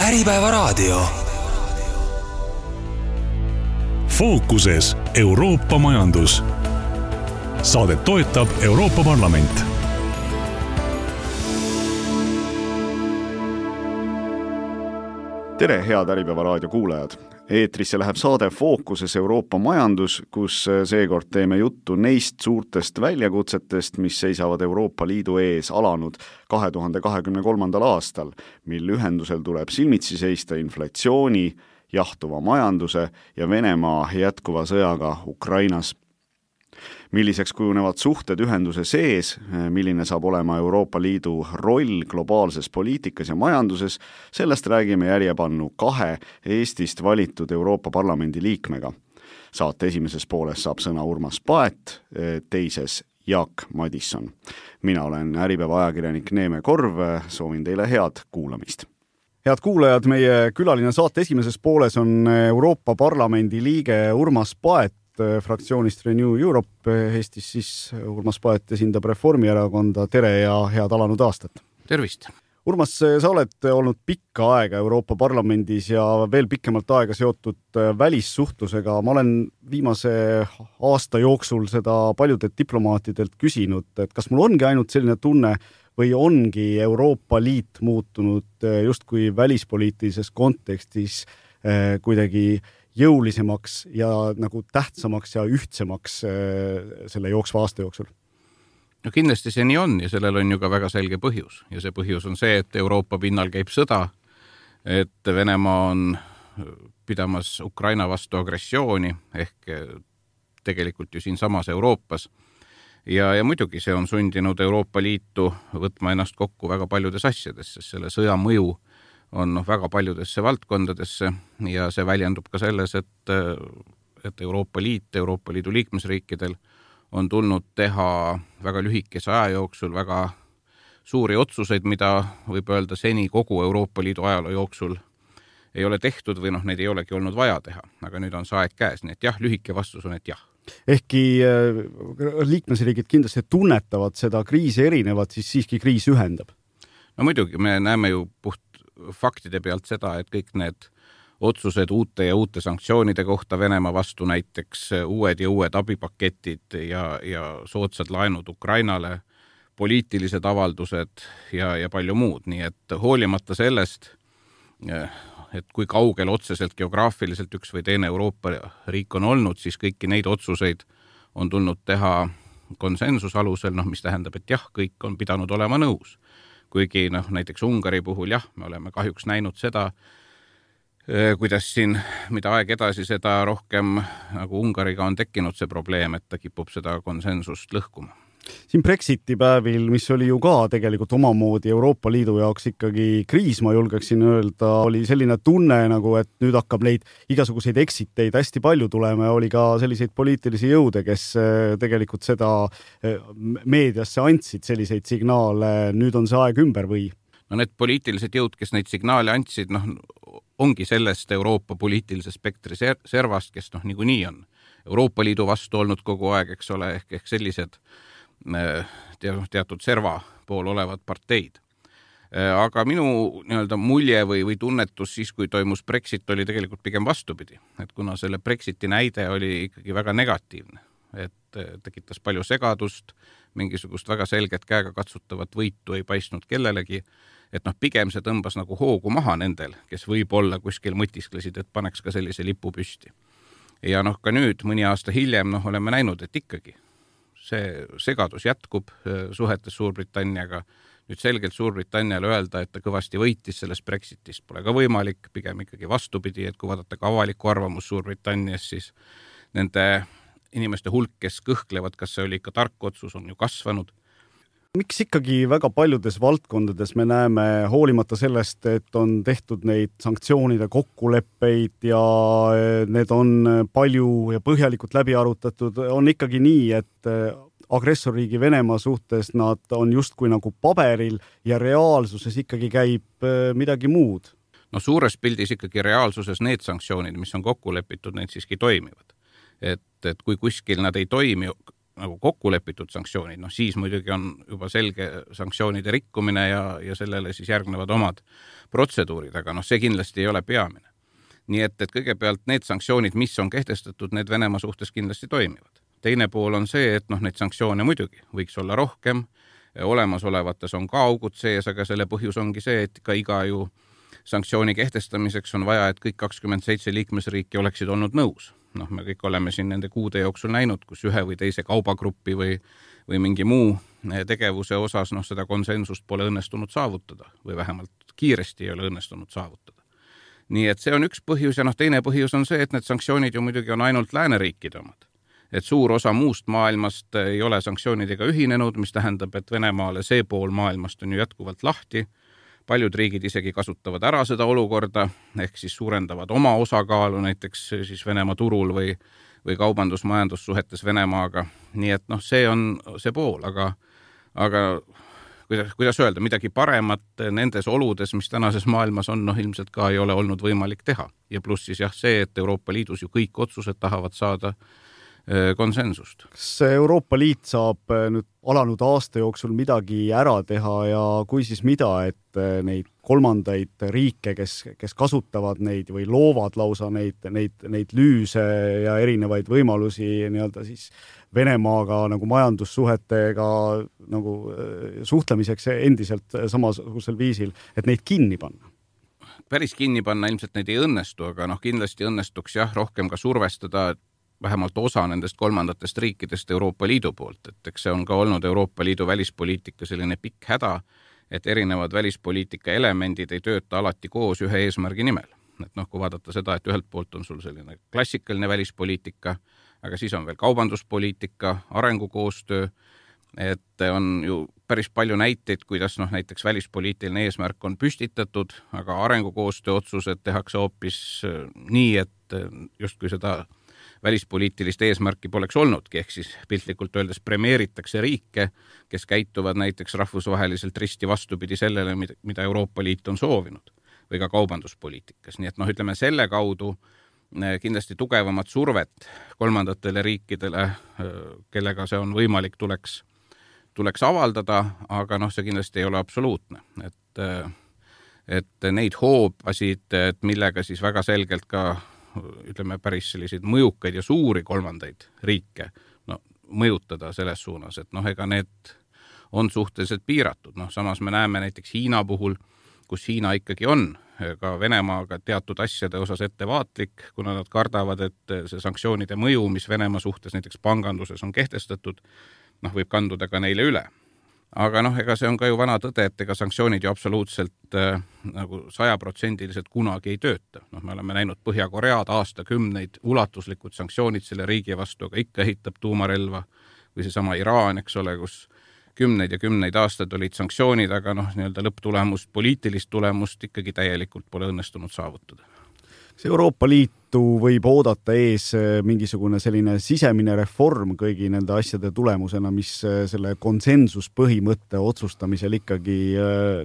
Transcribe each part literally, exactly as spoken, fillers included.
Äripäevaraadio. Fookuses Euroopa majandus. Saadet toetab Euroopa Parlament. Tere, head Äripäevaraadio kuulajad! Eetrisse läheb saade Fookuses Euroopa majandus, kus seekord teeme juttu neist suurtest väljakutsetest, mis seisavad Euroopa Liidu ees alanud kahe tuhande kahekümne kolmandal aastal, mil ühendusel tuleb silmitsi seista inflatsiooni, jahtuva majanduse ja Venemaa jätkuva sõjaga Ukrainas. Milliseks kujunevad suhted ühenduse sees, milline saab olema Euroopa Liidu roll globaalses poliitikas ja majanduses, sellest räägime järjepannu kahe Eestist valitud Euroopa Parlamendi liikmega. Saate esimeses pooles saab sõna Urmas Paet, teises Jaak Madisson. Mina olen Äripäeva ajakirjanik Neeme Korv, soovin teile head kuulamist. Head kuulajad, meie külaline saate esimeses pooles on Euroopa Parlamendi liige Urmas Paet, fraktsioonist Renew Europe. Eestis siis Urmas Paet esindab Reformierakonda. Tere ja head alanud aastat. Tervist. Urmas, sa oled olnud pikka aega Euroopa Parlamendis ja veel pikemalt aega seotud välissuhtlusega. Ma olen viimase aasta jooksul seda paljudelt diplomaatidelt küsinud, et kas mul ongi ainult selline tunne või ongi Euroopa Liit muutunud justkui välispoliitilises kontekstis kuidagi jõulisemaks ja nagu tähtsamaks ja ühtsemaks selle jooksva aasta jooksul? No kindlasti see nii on ja sellel on ju ka väga selge põhjus. Ja see põhjus on see, et Euroopa pinnal käib sõda, et Venemaa on pidamas Ukraina vastu agressiooni ehk tegelikult ju siin samas Euroopas. Ja, ja muidugi see on sundinud Euroopa Liitu võtma ennast kokku väga paljudes asjades, sest selle sõja mõju on noh, väga paljudesse valdkondadesse ja see väljendub ka selles, et, et Euroopa Liit, Euroopa Liidu liikmesriikidel on tulnud teha väga lühikese aja jooksul väga suuri otsuseid, mida võib öelda seni kogu Euroopa Liidu ajaloo jooksul ei ole tehtud või noh, neid ei olegi olnud vaja teha. Aga nüüd on see aeg käes, nii et jah, lühike vastus on, et jah. Ehkki liikmesriigid kindlasti tunnetavad seda kriisi erinevat, siis siiski kriis ühendab. No muidugi, me näeme ju puht faktide pealt seda, et kõik need otsused uute ja uute sanktsioonide kohta Venemaa vastu, näiteks uued ja uued abipaketid ja, ja soodsad laenud Ukrainale, poliitilised avaldused ja, ja palju muud. Nii et hoolimata sellest, et kui kaugel otseselt geograafiliselt üks või teine Euroopa riik on olnud, siis kõiki neid otsuseid on tulnud teha konsensus alusel, no, mis tähendab, et jah, kõik on pidanud olema nõus. Kuigi noh, näiteks Ungari puhul jah, me oleme kahjuks näinud seda, kuidas siin, mida aeg edasi, seda rohkem nagu Ungariga on tekkinud see probleem, et ta kipub seda konsensust lõhkuma. Siin Brexiti päevil, mis oli ju ka tegelikult omamoodi Euroopa Liidu jaoks ikkagi kriis, ma julgeksin öelda, oli selline tunne nagu, et nüüd hakkab neid igasuguseid eksiteid hästi palju tulema ja oli ka selliseid poliitilisi jõude, kes tegelikult seda meediasse andsid selliseid signaale, nüüd on see aeg ümber või? No need poliitilised jõud, kes neid signaale andsid, noh, ongi sellest Euroopa poliitilise spektri servast, kes noh, nagu nii on Euroopa Liidu vastu olnud kogu aeg, eks ole, ehk, ehk sellised teatud serva pool olevad parteid. Aga minu nii-öelda mulje või, või tunnetus siis, kui toimus Brexit, oli tegelikult pigem vastupidi. Et kuna selle Brexiti näide oli ikkagi väga negatiivne, et tekitas palju segadust, mingisugust väga selget käega katsutavat võitu ei paistnud kellelegi, et noh, pigem see tõmbas nagu hoogu maha nendel, kes võib-olla kuskil mõtisklesid, et paneks ka sellise lipu püsti. Ja noh, ka nüüd mõni aasta hiljem noh, oleme näinud, et ikkagi see segadus jätkub suhetes Suurbritanniaga. Nüüd selgelt Suurbritanniale öelda, et ta kõvasti võitis sellest Brexitist pole ka võimalik, pigem ikkagi vastupidi, et kui vaadata ka avaliku arvamus Suurbritannias, siis nende inimeste hulk, kes kõhklevad, kas see oli ikka tark otsus, on ju kasvanud. Miks ikkagi väga paljudes valdkondades me näeme, hoolimata sellest, et on tehtud neid sanktsioonide kokkuleppeid ja need on palju ja põhjalikult läbi arutatud, on ikkagi nii, et agressorriigi Venemaa suhtes nad on justkui nagu paberil ja reaalsuses ikkagi käib midagi muud? No suures pildis ikkagi reaalsuses need sanktsioonid, mis on kokku lepitud, need siiski toimivad. Et, et kui kuskil nad ei toimi, nagu kokku lepitud sanktsioonid, noh siis muidugi on juba selge sanktsioonide rikkumine ja, ja sellele siis järgnevad omad protseduurid, aga noh, see kindlasti ei ole peamine. Nii et, et kõigepealt need sanktsioonid, mis on kehtestatud, need Venemaa suhtes kindlasti toimivad. Teine pool on see, et noh, neid sanktsioone muidugi võiks olla rohkem, olemasolevates on ka augud sees, aga selle põhjus ongi see, et ka iga ju sanktsiooni kehtestamiseks on vaja, et kõik kakskümmend seitse liikmesriiki oleksid olnud nõus. Noh, me kõik oleme siin nende kuude jooksul näinud, kus ühe või teise kaubagruppi või, või mingi muu tegevuse osas noh, seda konsensust pole õnnestunud saavutada või vähemalt kiiresti ei ole õnnestunud saavutada. Nii et see on üks põhjus ja noh, teine põhjus on see, et need sanktsioonid ju muidugi on ainult lääneriikide omad. Et suur osa muust maailmast ei ole sanktsioonidega ühinenud, mis tähendab, et Venemaale see pool maailmast on ju jätkuvalt lahti. Paljud riigid isegi kasutavad ära seda olukorda, ehk siis suurendavad oma osakaalu näiteks siis Venemaa turul või, või kaubandus-majandussuhetes Venemaaga. Nii et noh, see on see pool, aga, aga kuidas, kuidas öelda, midagi paremat nendes oludes, mis tänases maailmas on, noh ilmselt ka ei ole olnud võimalik teha. Ja pluss siis jah see, et Euroopa Liidus ju kõik otsused tahavad saada konsensust. Kas Euroopa Liit saab nüüd alanud aasta jooksul midagi ära teha ja kui siis mida, et neid kolmandaid riike, kes, kes kasutavad neid või loovad lausa neid, neid, neid lüüse ja erinevaid võimalusi nii-öelda siis Venemaaga nagu majandussuhetega nagu suhtlemiseks endiselt samasugusel viisil, et neid kinni panna? Päris kinni panna ilmselt neid ei õnnestu, aga noh kindlasti õnnestuks jah rohkem ka survestada vähemalt osa nendest kolmandatest riikidest Euroopa Liidu poolt, et eks see on ka olnud Euroopa Liidu välispoliitika selline pikk häda, et erinevad välispoliitika elemendid ei tööta alati koos ühe eesmärgi nimel. Et noh, kui vaadata seda, et ühelt poolt on sul selline klassikaline välispoliitika, aga siis on veel kaubanduspoliitika, arengukoostöö, et on ju päris palju näiteid, kuidas noh, näiteks välispoliitiline eesmärk on püstitatud, aga arengukoostöö otsused tehakse hoopis nii, et justkui seda välispoliitilist eesmärki poleks olnudki, ehk siis piltlikult öeldes premeeritakse riike, kes käituvad näiteks rahvusvaheliselt risti vastupidi sellele, mida Euroopa Liit on soovinud või ka kaubanduspoliitikas. Nii et noh, ütleme selle kaudu kindlasti tugevamat survet kolmandatele riikidele, kellega see on võimalik, tuleks, tuleks avaldada, aga noh, see kindlasti ei ole absoluutne. Et, et neid hoobasid, et millega siis väga selgelt ka ütleme päris selliseid mõjukaid ja suuri kolmandaid riike no, mõjutada selles suunas, et noh, ega need on suhteliselt piiratud. Noh, samas me näeme näiteks Hiina puhul, kus Hiina ikkagi on ka Venemaaga teatud asjade osas ettevaatlik, kuna nad kardavad, et see sanktsioonide mõju, mis Venemaa suhtes näiteks panganduses on kehtestatud, noh, võib kanduda ka neile üle. Aga noh, ega see on ka ju vana tõde, et ega sanktsioonid ju absoluutselt äh, nagu sajaprotsendiliselt kunagi ei tööta. Noh, me oleme näinud Põhja-Koread aastakümneid ulatuslikud sanktsioonid selle riigi vastu, aga ikka ehitab tuumarelva või seesama Iraan, eks ole, kus kümneid ja kümneid aastad olid sanktsioonid, aga noh, nii-öelda lõpptulemust, poliitilist tulemust ikkagi täielikult pole õnnestunud saavutada. See Euroopa Liitu võib oodata ees mingisugune selline sisemine reform kõigi nende asjade tulemusena, mis selle konsensuspõhimõtte otsustamisel ikkagi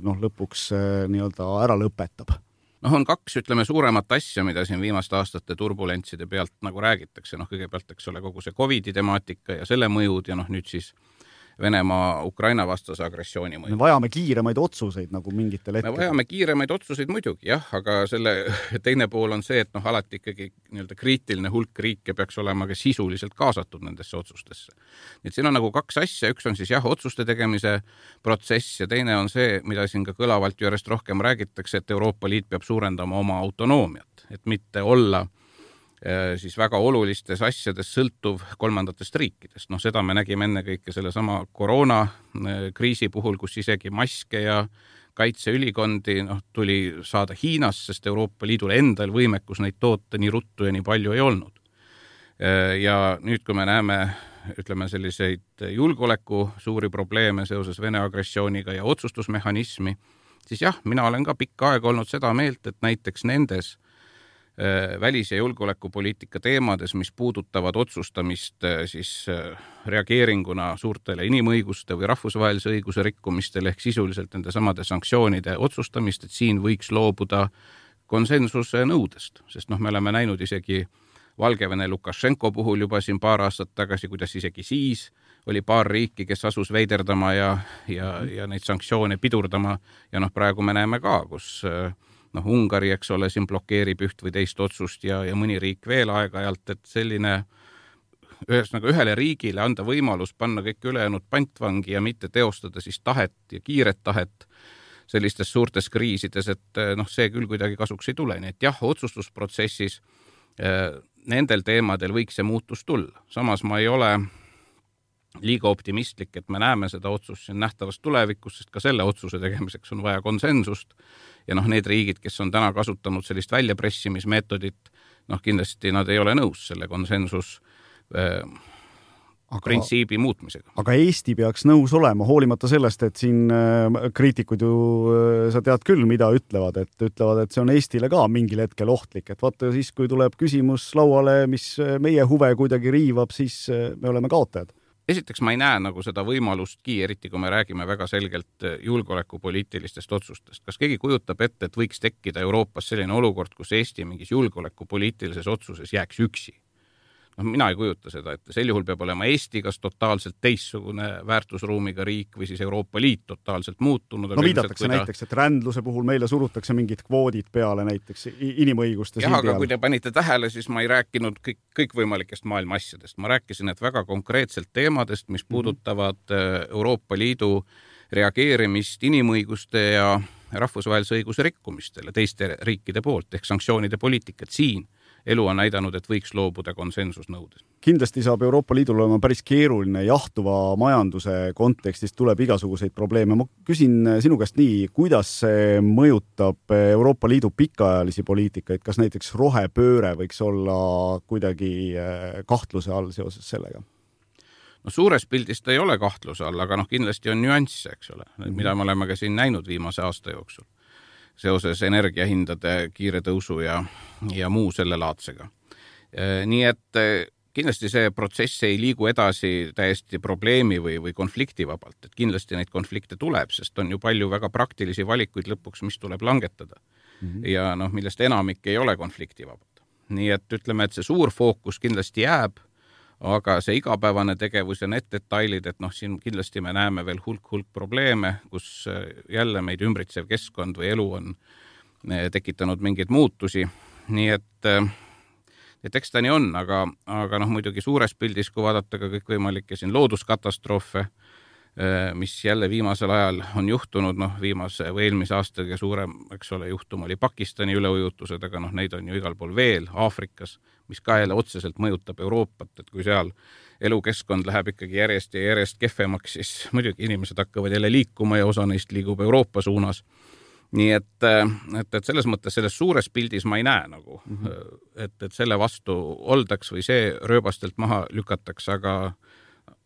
noh, lõpuks nii-öelda ära lõpetab? Noh, on kaks, ütleme, suuremat asja, mida siin viimaste aastate turbulentside pealt nagu räägitakse. Noh, kõigepealt, eks ole, kogu see COVID-i temaatika ja selle mõjud ja noh, nüüd siis Venemaa Ukraina vastase agressiooni mõju. Me vajame kiiremaid otsuseid nagu mingitel hetkel. Me vajame kiiremaid otsuseid muidugi, jah, aga selle teine pool on see, et noh, alati ikkagi nii-öelda kriitiline hulk riike peaks olema ka sisuliselt kaasatud nendesse otsustesse. Nii et siin on nagu kaks asja, üks on siis jah, otsuste tegemise protsess ja teine on see, mida siin ka kõlavalt ju järjest rohkem räägitakse, et Euroopa Liit peab suurendama oma autonoomiat, et mitte olla siis väga olulistes asjades sõltuv kolmandatest riikidest. Noh, seda me nägime enne kõike selle sama koroona kriisi puhul, kus isegi maske ja kaitseülikondi noh, tuli saada Hiinas, sest Euroopa Liidul endal võimekus neid toota nii ruttu ja nii palju ei olnud. Ja nüüd, kui me näeme, ütleme selliseid julgeoleku suuri probleeme seoses Vene agressiooniga ja otsustusmehhanismi, siis jah, mina olen ka pikka aega olnud seda meelt, et näiteks nendes välis- ja julgeolekupoliitika teemades, mis puudutavad otsustamist siis reageeringuna suurtele inimõiguste või rahvusvahelise õiguse rikkumistele ehk sisuliselt nende samade sanktsioonide otsustamist, et siin võiks loobuda konsensuse nõudest, sest noh, me oleme näinud isegi Valgevene Lukašenko puhul juba siin paar aastat tagasi, kuidas isegi siis oli paar riiki, kes asus veiderdama ja, ja, ja neid sanktsioone pidurdama ja noh, praegu me näeme ka, kus noh, Ungari, eks ole, siin blokeerib üht või teist otsust ja, ja mõni riik veel aeg-ajalt, et selline ühesõnaga ühele riigile anda võimalus panna kõik ülejäänud pantvangi ja mitte teostada siis tahet ja kiiret tahet sellistes suurtes kriisides, et noh, see küll kuidagi kasuks ei tule. Nii et jah, otsustusprotsessis eh, nendel teemadel võiks see muutus tulla. Samas ma ei ole liiga optimistlik, et me näeme seda otsust siin nähtavas tulevikus, sest ka selle otsuse tegemiseks on vaja konsensust ja noh, need riigid, kes on täna kasutanud sellist väljapressimismeetodit, noh, kindlasti nad ei ole nõus selle konsensus äh, aga, printsiibi muutmisega. Aga Eesti peaks nõus olema, hoolimata sellest, et siin äh, kriitikud ju, äh, sa tead küll, mida ütlevad, et ütlevad, et see on Eestile ka mingil hetkel ohtlik, et vaata siis, kui tuleb küsimus lauale, mis meie huve kuidagi riivab, siis äh, me oleme kaotajad. Esiteks ma ei näe nagu seda võimalustki, eriti kui me räägime väga selgelt julgeolekupoliitilistest otsustest. Kas keegi kujutab ette, et võiks tekkida Euroopas selline olukord, kus Eesti mingis julgeolekupoliitilises otsuses jääks üksi? No, mina ei kujuta seda, et sel juhul peab olema Eesti kas totaalselt teissugune väärtusruumiga riik või siis Euroopa Liit totaalselt muutunud. No viidatakse ta... näiteks, et rändluse puhul meile surutakse mingid kvoodid peale näiteks inimõiguste jah, aga kui te panite tähele, siis ma ei rääkinud kõik, kõikvõimalikest maailma asjadest. Ma rääkisin, et väga konkreetselt teemadest, mis puudutavad Euroopa Liidu reageerimist inimõiguste ja rahvusvahelise õiguse rikkumistele teiste riikide poolt ehk sanktsioonide poliitikat siin. Elu on näidanud, et võiks loobuda konsensusnõudes. Kindlasti saab Euroopa Liidul olema päris keeruline jahtuva majanduse kontekstis tuleb igasuguseid probleeme. Ma küsin sinu käest nii, kuidas see mõjutab Euroopa Liidu pikaajalisi poliitikaid, kas näiteks rohepööre võiks olla kuidagi kahtluse all seoses sellega? No suures pildis ta ei ole kahtluse all, aga noh, kindlasti on nüansse, eks ole, mida me oleme ka siin näinud viimase aasta jooksul seoses energiahindade kiire tõusu ja, ja muu selle laadsega. Nii et kindlasti see protsess ei liigu edasi täiesti probleemi või, või konflikti vabalt, et kindlasti neid konflikte tuleb, sest on ju palju väga praktilisi valikuid lõpuks, mis tuleb langetada. Mm-hmm. Ja noh, millest enamik ei ole konflikti vabad. Nii et ütleme, et see suur fookus kindlasti jääb, aga see igapäevane tegevus ja need detailid, et noh, siin kindlasti me näeme veel hulk-hulk probleeme, kus jälle meid ümbritsev keskkond või elu on tekitanud mingeid muutusi. Nii et, et eks ta nii on, aga, aga noh, muidugi suures pildis, kui vaadata ka kõikvõimalikke siin looduskatastroofe, mis jälle viimasel ajal on juhtunud, noh, viimase või eelmise aasta kõige suurem, eks ole, juhtum oli Pakistani üleujutused, aga noh, neid on ju igal pool veel, Aafrikas, mis ka jälle otseselt mõjutab Euroopat, et kui seal elukeskkond läheb ikkagi järjest ja järjest kehvemaks, siis muidugi inimesed hakkavad jälle liikuma ja osa neist liigub Euroopa suunas. Nii et, et, et selles mõttes selles suures pildis ma ei näe nagu, mm-hmm. et, et selle vastu oldaks või see rööbastelt maha lükataks, aga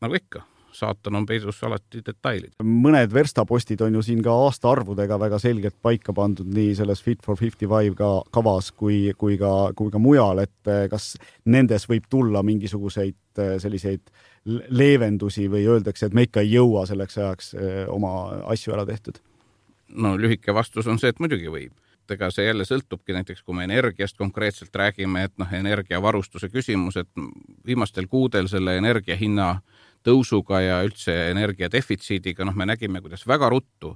nagu ikka, saatan on peidus alati detailid. Mõned verstapostid on ju siin ka aastaarvudega väga selgelt paika pandud nii selles Fit for viiskümmend viis kavas kui, kui, ka, kui ka mujal, et kas nendes võib tulla mingisuguseid selliseid leevendusi või öeldakse, et me ikka ei jõua selleks ajaks oma asju ära tehtud? No lühike vastus on see, et muidugi võib. Ega see jälle sõltubki näiteks, kui me energiast konkreetselt räägime, et noh, energiavarustuse küsimus, et viimastel kuudel selle energiahinna tõusuga ja üldse energiadefitsiidiga, noh, me nägime, kuidas väga ruttu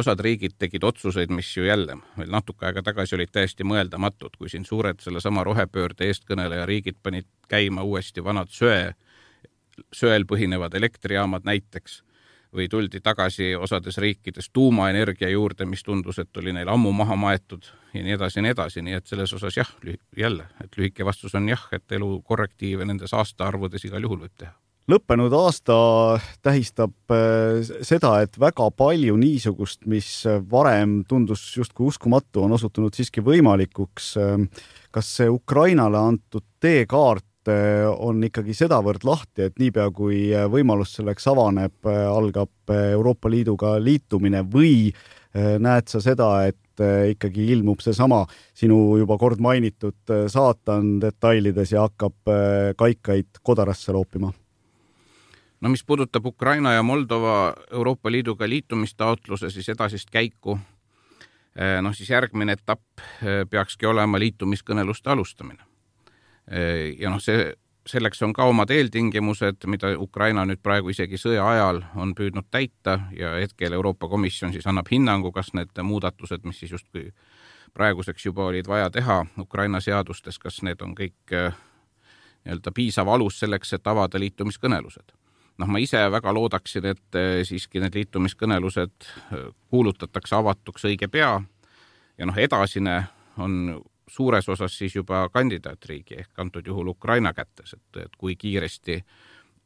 osad riigid tegid otsuseid, mis ju jälle veel natuke aega tagasi olid täiesti mõeldamatud, kui siin suured selle sama rohepöörde eestkõneleja riigid panid käima uuesti vanad söe, söel põhinevad elektrijaamad näiteks, või tuldi tagasi osades riikides tuumaenergia juurde, mis tundus, et oli neil ammu maha maetud ja nii edasi ja nii edasi, nii et selles osas jah, jälle, et lühike vastus on jah, et elu korrektiive nendes aastaarvudes igal juhul võib teha. Lõppenud aasta tähistab seda, et väga palju niisugust, mis varem tundus justkui uskumatu, on osutunud siiski võimalikuks. Kas see Ukrainale antud teekaart on ikkagi sedavõrd lahti, et niipea kui võimalus selleks avaneb, algab Euroopa Liiduga liitumine või näed sa seda, et ikkagi ilmub see sama sinu juba kord mainitud saatan detailides ja hakkab kaikaid kodarasse loopima? No mis puudutab Ukraina ja Moldova Euroopa Liiduga liitumistaotluse, siis edasist käiku, noh siis järgmine etapp peakski olema liitumiskõneluste alustamine. Ja noh, see selleks on ka omad eeltingimused, mida Ukraina nüüd praegu isegi sõja ajal on püüdnud täita ja hetkel Euroopa Komisjon siis annab hinnangu, kas need muudatused, mis siis justkui praeguseks juba olid vaja teha Ukraina seadustes, kas need on kõik nii-öelda piisav alus selleks, et avada liitumiskõnelused. Noh, ma ise väga loodaksin, et siiski need liitumiskõnelused kuulutatakse avatuks õige pea ja noh, edasine on suures osas siis juba kandidaatriigi ehk antud juhul Ukraina kätes, et, et kui kiiresti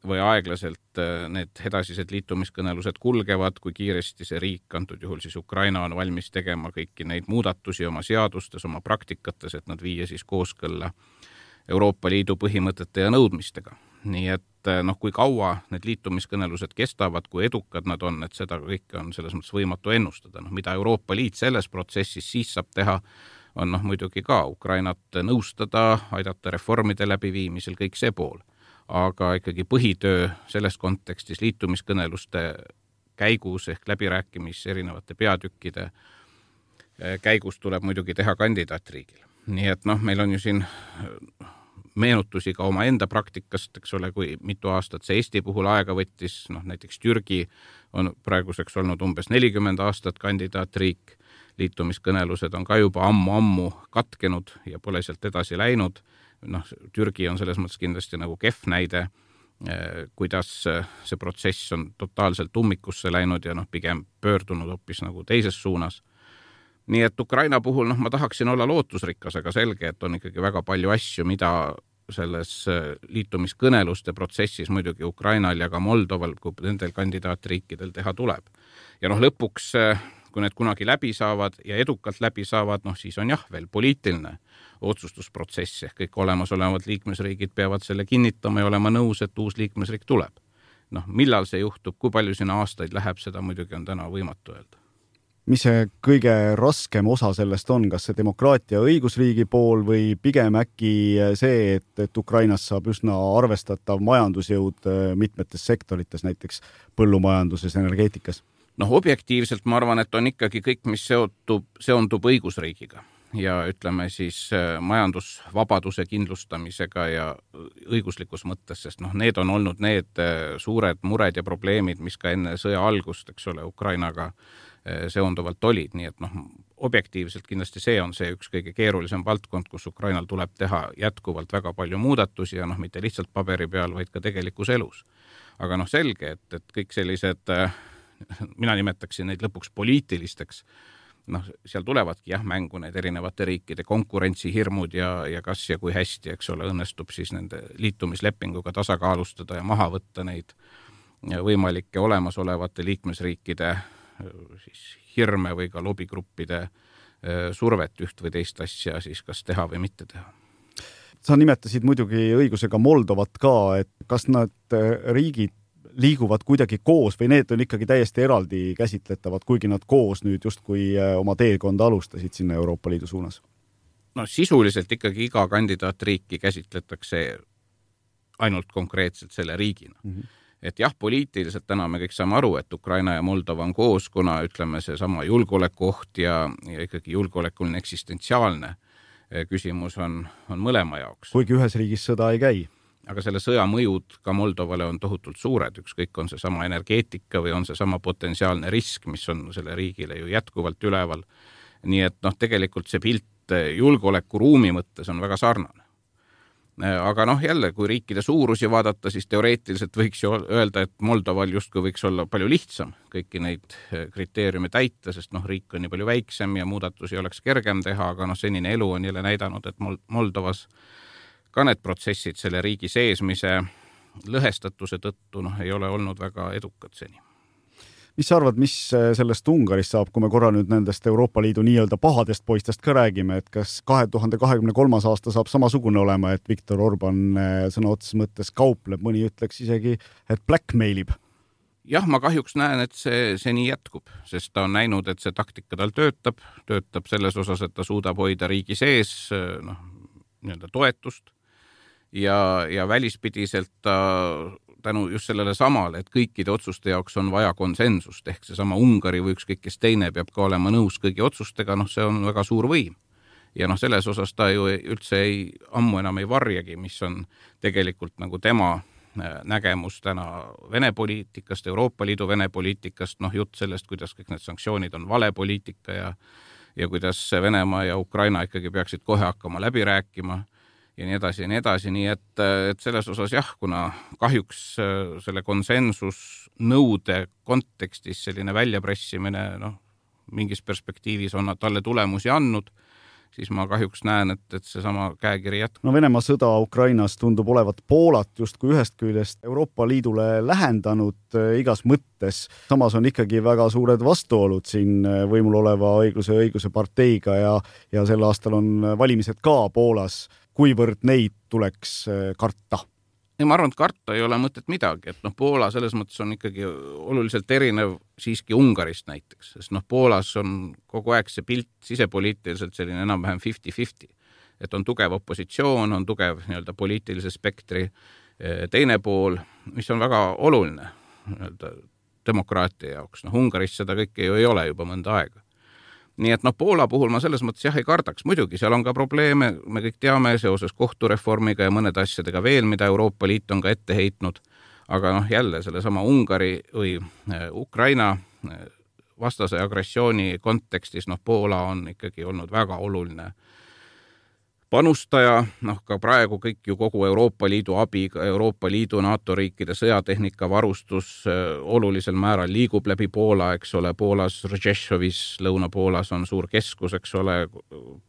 või aeglaselt need edasised liitumiskõnelused kulgevad, kui kiiresti see riik, antud juhul siis Ukraina, on valmis tegema kõiki neid muudatusi oma seadustes, oma praktikates, et nad viia siis kooskõlla Euroopa Liidu põhimõtete ja nõudmistega. Nii et noh, kui kaua need liitumiskõnelused kestavad, kui edukad nad on, et seda kõike on selles mõttes võimatu ennustada. Noh, mida Euroopa Liit selles protsessis siis saab teha, on noh, muidugi ka Ukrainat nõustada, aidata reformide läbiviimisel, kõik see pool. Aga ikkagi põhitöö selles kontekstis liitumiskõneluste käigus ehk läbirääkimis erinevate peatükkide käigus tuleb muidugi teha kandidaatriigil. Nii et noh, meil on ju siin meenutusi ka oma enda praktikast, eks ole, kui mitu aastat see Eesti puhul aega võttis, noh näiteks Türgi on praeguseks olnud umbes nelikümmend aastat kandidaatriik, liitumiskõnelused on ka juba ammu-ammu katkenud ja pole sealt edasi läinud. Noh, Türgi on selles mõttes kindlasti nagu kehv näide, kuidas see protsess on totaalselt ummikusse läinud ja noh, pigem pöördunud hoopis nagu teises suunas. Nii et Ukraina puhul noh, ma tahaksin olla lootusrikas, aga selge, et on ikkagi väga palju asju, mida selles liitumiskõneluste protsessis muidugi Ukrainal ja ka Moldoval, kui nendel kandidaatriikidel teha tuleb. Ja noh, lõpuks, kui need kunagi läbi saavad ja edukalt läbi saavad, noh siis on jah veel poliitiline otsustusprotsess, ehk kõik olemasolevad liikmesriigid peavad selle kinnitama ja olema nõus, et uus liikmesriik tuleb. Noh, millal see juhtub, kui palju sinna aastaid läheb, seda muidugi on täna võimatu öelda. Mis see kõige raskem osa sellest on, kas see demokraatia õigusriigi pool või pigem äkki see, et, et Ukrainas saab üsna arvestatav majandusjõud mitmetes sektorites, näiteks põllumajanduses, energeetikas? Noh, objektiivselt ma arvan, et on ikkagi kõik, mis seotub, seondub õigusriigiga ja ütleme siis majandusvabaduse kindlustamisega ja õiguslikus mõttes, sest noh, need on olnud need suured mured ja probleemid, mis ka enne sõja algust, eks ole, Ukrainaga seonduvalt olid, nii et noh, objektiivselt kindlasti see on see üks kõige keerulisem valdkond, kus Ukrainal tuleb teha jätkuvalt väga palju muudatusi ja noh, mitte lihtsalt paberi peal, vaid ka tegelikus elus. Aga noh, selge, et, et kõik sellised, mina nimetaksin neid lõpuks poliitilisteks, noh, seal tulevadki jah mängu need erinevate riikide konkurentsihirmud ja, ja kas ja kui hästi, eks ole, õnnestub siis nende liitumislepinguga tasakaalustada ja maha võtta neid võimalike olemasolevate liikmesriikide siis hirme või ka lobigruppide survet üht või teist asja siis kas teha või mitte teha. Sa nimetasid muidugi õigusega Moldovat ka, et kas nad riigid liiguvad kuidagi koos või need on ikkagi täiesti eraldi käsitletavad, kuigi nad koos nüüd justkui oma teekonda alustasid sinna Euroopa Liidu suunas? No sisuliselt ikkagi iga kandidaatriiki käsitletakse ainult konkreetselt selle riigina. Mm-hmm. Et jah, poliitiliselt täna me kõik saame aru, et Ukraina ja Moldova on koos, kuna ütleme see sama julgeolekuoht ja, ja ikkagi julgeolekuline eksistentsiaalne küsimus on, on mõlema jaoks. Kuigi ühes riigis sõda ei käi. Aga selle sõja mõjud ka Moldovale on tohutult suured, ükskõik on see sama energeetika või on see sama potentsiaalne risk, mis on selle riigile ju jätkuvalt üleval. Nii et noh, tegelikult see pilt julgeolekuruumi mõttes on väga sarnane. Aga noh, jälle, kui riikide suurusi vaadata, siis teoreetiliselt võiks ju öelda, et Moldoval justkui võiks olla palju lihtsam kõiki neid kriteeriume täita, sest noh, riik on nii palju väiksem ja muudatusi oleks kergem teha, aga noh, senine elu on jälle näidanud, et Moldovas ka need protsessid selle riigi seesmise lõhestatuse tõttu noh, ei ole olnud väga edukad seni. Mis sa arvad, mis sellest Ungarist saab, kui me korra nüüd nendest Euroopa Liidu nii-öelda pahadest poistest ka räägime, et kas kahe tuhande kahekümne kolmas aasta saab samasugune olema, et Viktor Orban sõna otseses mõttes kaupleb, mõni ütleks isegi, et blackmailib? Jah, ma kahjuks näen, et see, see nii jätkub, sest ta on näinud, et see taktika tal töötab, töötab selles osas, et ta suudab hoida riigi sees noh, nii-öelda toetust ja, ja välispidiselt ta tänu just sellele samale, et kõikide otsuste jaoks on vaja konsensust, ehk see sama Ungari või ükskõik kes teine peab ka olema nõus kõigi otsustega, noh see on väga suur võim. ja noh, selles osas ta ju üldse ei, ammu enam ei varjagi, mis on tegelikult nagu tema nägemus täna Vene poliitikast, Euroopa Liidu Vene poliitikast, noh jutt sellest, kuidas kõik need sanktsioonid on vale poliitika ja, ja kuidas Venemaa ja Ukraina ikkagi peaksid kohe hakkama läbi rääkima ja nii edasi ja nii edasi, nii et, et selles osas jah, kuna kahjuks selle konsensusnõude kontekstis selline väljapressimine noh, mingis perspektiivis on talle tulemusi andnud, siis ma kahjuks näen, et, et see sama käekiri jätkub. No Venemaa sõda Ukrainas tundub olevat Poolat justkui ühest küljest Euroopa Liidule lähendanud igas mõttes. Samas on ikkagi väga suured vastuolud siin võimul oleva õigluse ja õiguse parteiga ja, ja sel aastal on valimised ka Poolas. Kuivõrd neid tuleks karta? Ja ma arvan, et karta ei ole mõtet midagi, et noh, Poola selles mõttes on ikkagi oluliselt erinev siiski Ungarist näiteks, sest noh, Poolas on kogu aeg see pilt sisepoliitiliselt selline enam-vähem fifty fifty, et on tugev opositsioon, on tugev nii-öelda poliitilise spektri teine pool, mis on väga oluline nii-öelda demokraatia jaoks. Noh, Ungaris seda kõike ju ei ole juba mõnda aega. Nii et noh, Poola puhul ma selles mõttes jah ei kardaks. Muidugi seal on ka probleeme, me kõik teame seoses kohtureformiga ja mõned asjadega veel, mida Euroopa Liit on ka ette heitnud, aga noh, jälle selle sama Ungari või Ukraina vastase agressiooni kontekstis, noh, Poola on ikkagi olnud väga oluline panustaja, noh ka praegu kõik ju kogu Euroopa Liidu abiga, Euroopa Liidu NATO riikide sõjatehnika varustus olulisel määral liigub läbi Poola, eks ole, Poolas, Rzeszovis, Lõuna-Poolas on suur keskus, eks ole,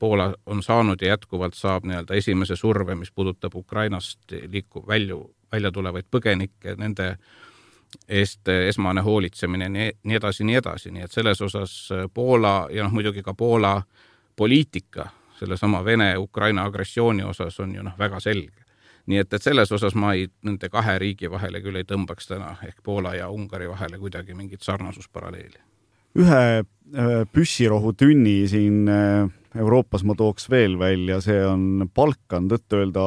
Poola on saanud ja jätkuvalt saab nii-öelda esimese surve, mis puudutab Ukrainast liiku, välju, välja tulevaid põgenikke, nende eest esmane hoolitsemine, nii, nii edasi, nii edasi, nii et selles osas Poola ja noh, muidugi ka Poola poliitika selle sama Vene-Ukraina agressiooni osas on ju noh väga selge. Nii et, et selles osas ma ei, nende kahe riigi vahele küll ei tõmbaks täna ehk Poola ja Ungari vahele kuidagi mingit sarnasusparalleeli. Ühe püssirohu tünni siin Euroopas ma tooks veel välja, see on Balkan, tõtt öelda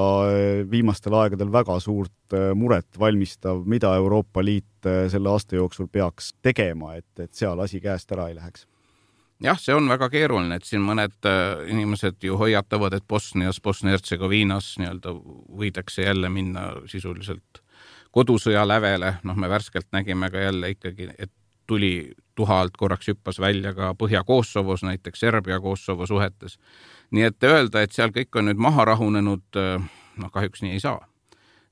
viimastel aegadel väga suurt muret valmistav, mida Euroopa Liit selle aasta jooksul peaks tegema, et, et seal asi käest ära ei läheks. Jah, see on väga keeruline, et siin mõned inimesed ju hoiatavad, et Bosnias, Bosnia-Hertsegoviinas nii-öelda võidakse jälle minna sisuliselt kodusõja lävele. Noh, me värskelt nägime ka jälle ikkagi, et tuli tuha alt korraks hüppas välja ka Põhja-Kosovos, näiteks Serbia-Kosovo suhetes. Nii et öelda, et seal kõik on nüüd maha rahunenud, noh kahjuks nii ei saa.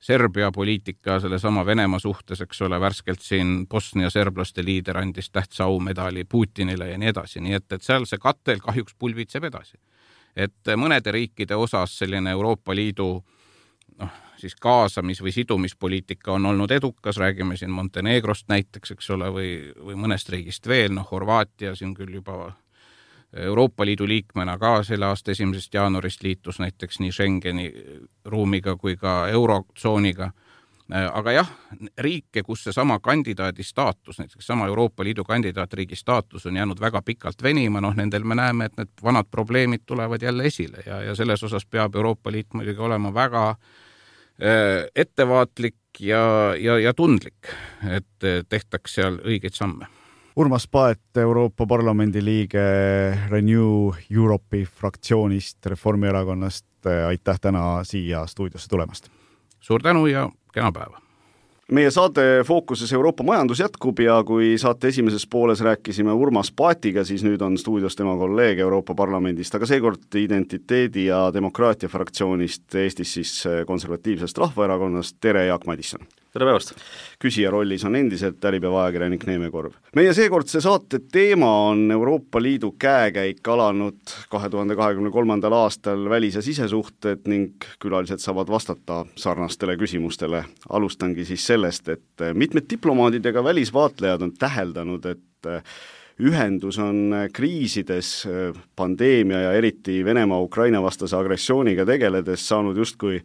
Serbia poliitika selle sama Venemaa suhtes, eks ole, värskelt siin Bosnia serblaste liider andis tähtsa aumedali Putinile ja nii edasi, nii et, et seal see katel kahjuks pulvitseb edasi. Et mõnede riikide osas selline Euroopa Liidu noh, siis kaasamis- või sidumispoliitika on olnud edukas, räägime siin Montenegrost näiteks, eks ole, või, või mõnest riigist veel, noh Horvaatia siin küll juba Euroopa Liidu liikmena ka selle aasta esimesest jaanuarist liitus näiteks nii Schengeni ruumiga kui ka eurotsooniga. Aga jah, riike, kus see sama kandidaadi staatus, näiteks sama Euroopa Liidu kandidaatriigi staatus on jäänud väga pikalt venima, noh nendel me näeme, et need vanad probleemid tulevad jälle esile ja, ja selles osas peab Euroopa Liit muidugi olema väga äh, ettevaatlik ja, ja, ja tundlik, et tehtaks seal õigeid samme. Urmas Paet, Euroopa Parlamendi liige Renew Europe'i fraktsioonist Reformierakonnast, aitäh täna siia stuudiosse tulemast. Suur tänu ja kena päeva. Meie saate Fookuses Euroopa majandus jätkub ja kui saate esimeses pooles rääkisime Urmas Paetiga, siis nüüd on stuudios tema kolleeg Euroopa Parlamendist, aga seekord Identiteedi ja Demokraatia fraktsioonist, Eestis siis konservatiivsest rahvaerakonnast. Tere, Jaak Madisson! Tere päevast! Küsija rollis on endiselt Äripäeva ajakirjanik Neeme Korv. Meie seekordse saate teema on Euroopa Liidu käekäik alanud kahe tuhande kahekümne kolmandal aastal välis- ja sisesuhted ning külalised saavad vastata sarnastele küsimustele. Alustangi siis sellest, et mitmed diplomaadid ja ka välisvaatlejad on täheldanud, et ühendus on kriisides, pandeemia ja eriti Venemaa-Ukraina vastase agressiooniga tegeledes saanud justkui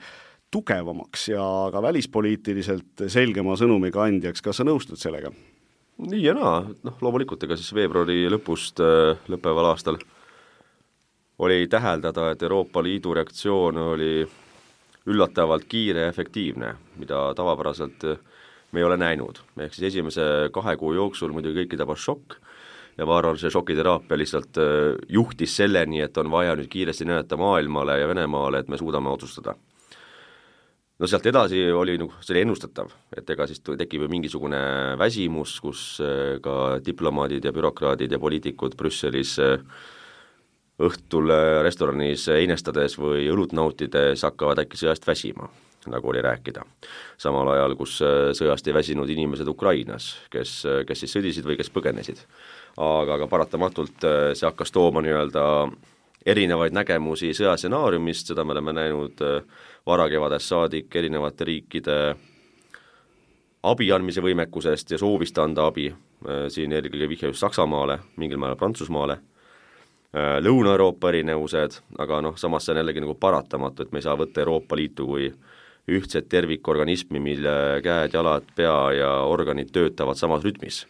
tugevamaks ja ka välispoliitiliselt selgema sõnumiga andjaks. Kas sa nõustud sellega? Nii ja naa, noh loomulikult, ega siis veebruari lõpust äh, lõppeval aastal oli täheldada, et Euroopa Liidu reaktsioon oli üllatavalt kiire ja efektiivne, mida tavapäraselt me ei ole näinud. Ehk siis esimese kahe kuu jooksul muidugi kõiki tabas šokk ja ma arvan, see šokiteraapia lihtsalt juhtis selleni, et on vaja nüüd kiiresti näidata maailmale ja Venemaale, et me suudame otsustada. No sealt edasi oli nagu see ennustatav, et ega siis tekib ju mingisugune väsimus, kus ka diplomaadid ja bürokraadid ja poliitikud Brüsselis õhtul restoranis einestades või õlut nautides hakkavad äkki sõjast väsima, nagu oli rääkida. Samal ajal, kus sõjast ei väsinud inimesed Ukrainas, kes, kes siis sõdisid või kes põgenesid. Aga, aga paratamatult see hakkas tooma nii-öelda erinevaid nägemusi sõjastsenaariumist, seda me oleme näinud varakevadest saadik erinevate riikide abi andmise võimekusest ja soovist anda abi, siin eelkõige vihje just Saksamaale, mingil määral Prantsusmaale, Lõuna-Euroopa erinevused, aga noh, samas see on jällegi nagu paratamatu, et me ei saa võtta Euroopa Liitu kui ühtset tervikorganismi, mille käed, jalad, pea ja organid töötavad samas rütmis.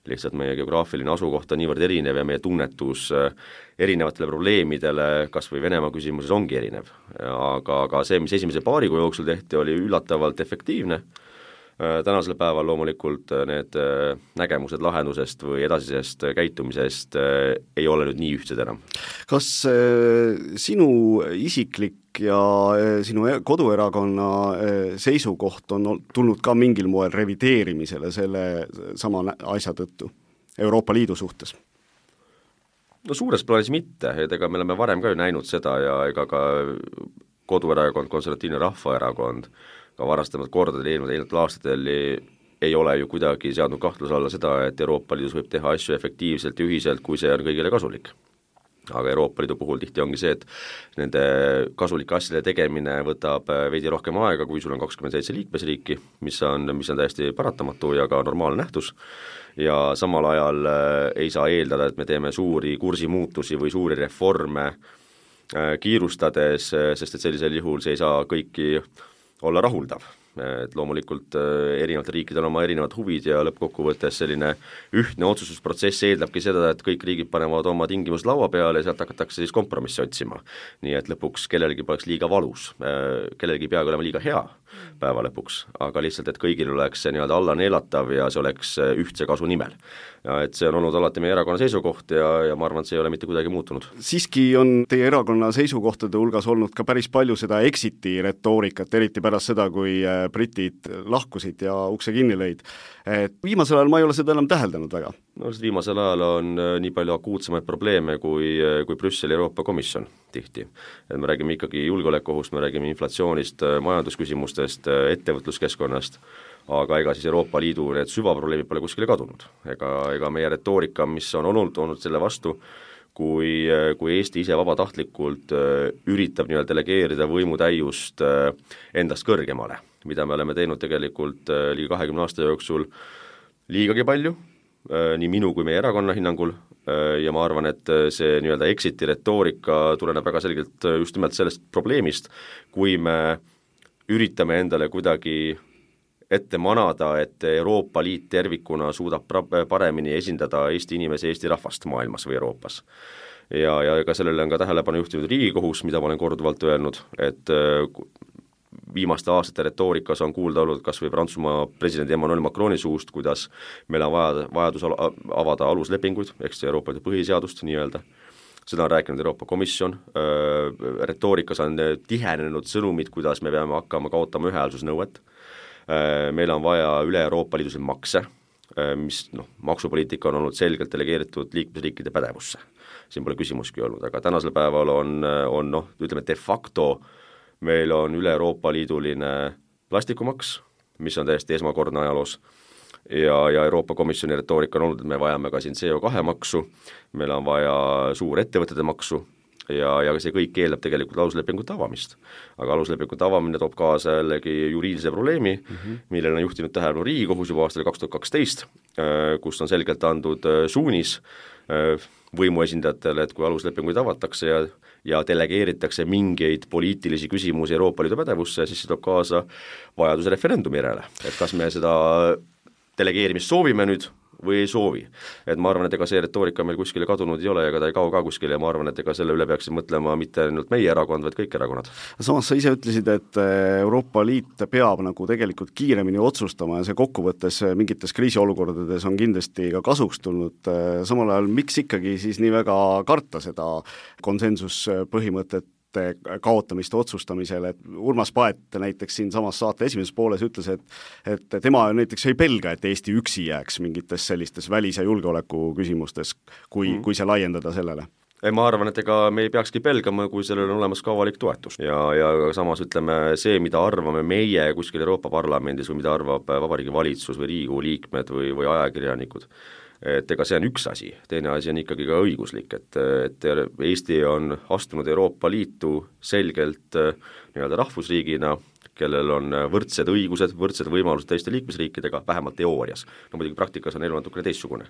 Lihtsalt meie geograafiline asukoht on niivõrd erinev ja meie tunnetus erinevatele probleemidele, kas või Venemaa küsimuses ongi erinev. Aga, aga see, mis esimese paari kuu jooksul tehti, oli üllatavalt efektiivne. Tänasel päeval loomulikult need nägemused lahendusest või edasisest käitumisest ei ole nüüd nii ühtsed enam. Kas sinu isiklik ja sinu koduerakonna seisukoht on tulnud ka mingil moel revideerimisele selle sama asja tõttu Euroopa Liidu suhtes? No suures plaanis mitte, et ega me oleme varem ka ju näinud seda ja ega ka koduerakond, konservatiivne rahvaerakond ka varastamad kordadel eelnevatel aastatel ei ole ju kuidagi seadnud kahtluse alla seda, et Euroopa Liidus võib teha asju efektiivselt ja ühiselt, kui see on kõigile kasulik. Aga Euroopa Liidu puhul tihti ongi see, et nende kasulike asjade tegemine võtab veidi rohkem aega, kui sul on kakskümmend seitse liikmesriiki, mis on, mis on täiesti paratamatu ja ka normaalne nähtus. Ja samal ajal ei saa eeldada, et me teeme suuri kursimuutusi või suuri reforme kiirustades, sest et sellisel juhul see ei saa kõiki olla rahuldav, et loomulikult erinevatel riikidel on oma erinevad huvid ja lõppkokkuvõttes selline ühtne otsustusprotsess eeldabki seda, et kõik riigid panevad oma tingimused laua peale ja sealt hakatakse siis kompromissi otsima. Nii et lõpuks kellelgi poleks liiga valus, kellelgi peagi olema liiga hea päeva lõpuks, aga lihtsalt, et kõigil oleks see nii-öelda alla neelatav ja see oleks ühtse kasu nimel. Ja et see on olnud alati meie erakonna seisukoht ja, ja ma arvan, et see ei ole mitte kuidagi muutunud. Siiski on teie erakonna seisukohtade hulgas olnud ka päris palju seda exiti retoorikat, eriti pärast seda, kui britid lahkusid ja ukse kinni lõid. Et viimasel ajal ma ei ole seda enam täheldanud väga. No, viimasel ajal on nii palju akuutsemaid probleeme kui, kui Brüsseli Euroopa Komisjon tihti. Et me räägime ikkagi julgeolekuohust, me räägime inflatsioonist, majandusküsimustest, ettevõtluskeskkonnast, aga ega siis Euroopa Liidu need süvaprobleemid pole kuskile kadunud. Ega, ega meie retoorika, mis on olnud, olnud selle vastu, kui, kui Eesti ise vabatahtlikult üritab nii-öelda delegeerida võimutäiust endast kõrgemale, mida me oleme teinud tegelikult liiga kahekümne aasta jooksul liigagi palju, nii minu kui meie erakonna hinnangul, ja ma arvan, et see nii-öelda exiti retoorika tuleneb väga selgelt just nimelt sellest probleemist, kui me üritame endale kuidagi ette manada, et Euroopa Liit tervikuna suudab paremini esindada Eesti inimese, Eesti rahvast maailmas või Euroopas. Ja, ja ka sellele on ka tähelepanu juhtinud Riigikohus, mida ma olen korduvalt öelnud, et viimaste aastate retoorikas on kuulda olnud kas või Prantsusmaa presidendi Emmanuel Macroni suust, kuidas meil on vaja, vajadus avada aluslepinguid, ehk see Euroopa Liidu põhiseadust nii-öelda. Seda on rääkinud Euroopa Komisjon, retoorikas on tihenenud sõnumid, kuidas me peame hakkama kaotama ühehäälsusnõuet. Meil on vaja üle Euroopa Liiduse makse, mis noh, maksupoliitika on olnud selgelt delegeeritud liikmesriikide pädevusse. Siin pole küsimuski olnud, aga tänasel päeval on, on noh, ütleme de facto meil on üle Euroopa Liiduline plastikumaks, mis on täiesti esmakordne ajaloos, ja, ja Euroopa Komisjoni retoorika on olnud, et me vajame ka siin C O kahe maksu, meil on vaja suur ettevõtete maksu, ja, ja see kõik eeldab tegelikult aluslepingute avamist. Aga aluslepingute avamine toob kaasa jällegi juriidilise probleemi, mm-hmm. millele on juhtinud tähelepanu Riigikohus juba aastal kaks tuhat kaksteist, kus on selgelt andnud suunis võimuesindajatele, et kui aluslepinguid avatakse ja, ja delegeeritakse mingeid poliitilisi küsimusi Euroopa Liidu pädevusse, siis see toob kaasa vajaduse referendumi järele. Et kas me seda delegeerimist soovime nüüd või ei soovi. Et ma arvan, et ega see retoorika meil kuskile kadunud ei ole, ega ta ei kao ka kuskile ja ma arvan, et ega selle üle peaksid mõtlema mitte ainult meie erakond, vaid kõik erakonnad. Samas sa ise ütlesid, et Euroopa Liit peab nagu tegelikult kiiremini otsustama ja see kokkuvõttes mingites kriisiolukordades on kindlasti ka kasuks tulnud. Samal ajal, miks ikkagi siis nii väga karta seda konsensuspõhimõtet kaotamist otsustamisel, et Urmas Paet näiteks siin samas saate esimeses pooles ütles, et, et tema näiteks ei pelga, et Eesti üksi jääks mingites sellistes välis- ja julgeoleku küsimustes, kui, mm. kui see laiendada sellele. Ei, ma arvan, et ega me ei peakski pelgama, kui sellel on olemas ka avalik toetus. Ja, ja samas ütleme, see, mida arvame meie kuskil Euroopa Parlamendis või mida arvab Vabariigi Valitsus või Riigikogu liikmed või, või ajakirjanikud, et ega see on üks asi, teine asi on ikkagi ka õiguslik, et, et Eesti on astunud Euroopa Liitu selgelt nii-öelda rahvusriigina, kellel on võrdsed õigused, võrdsed võimalused teiste liikmesriikidega, vähemalt teoorias. No muidugi praktikas on elu natukene teistsugune.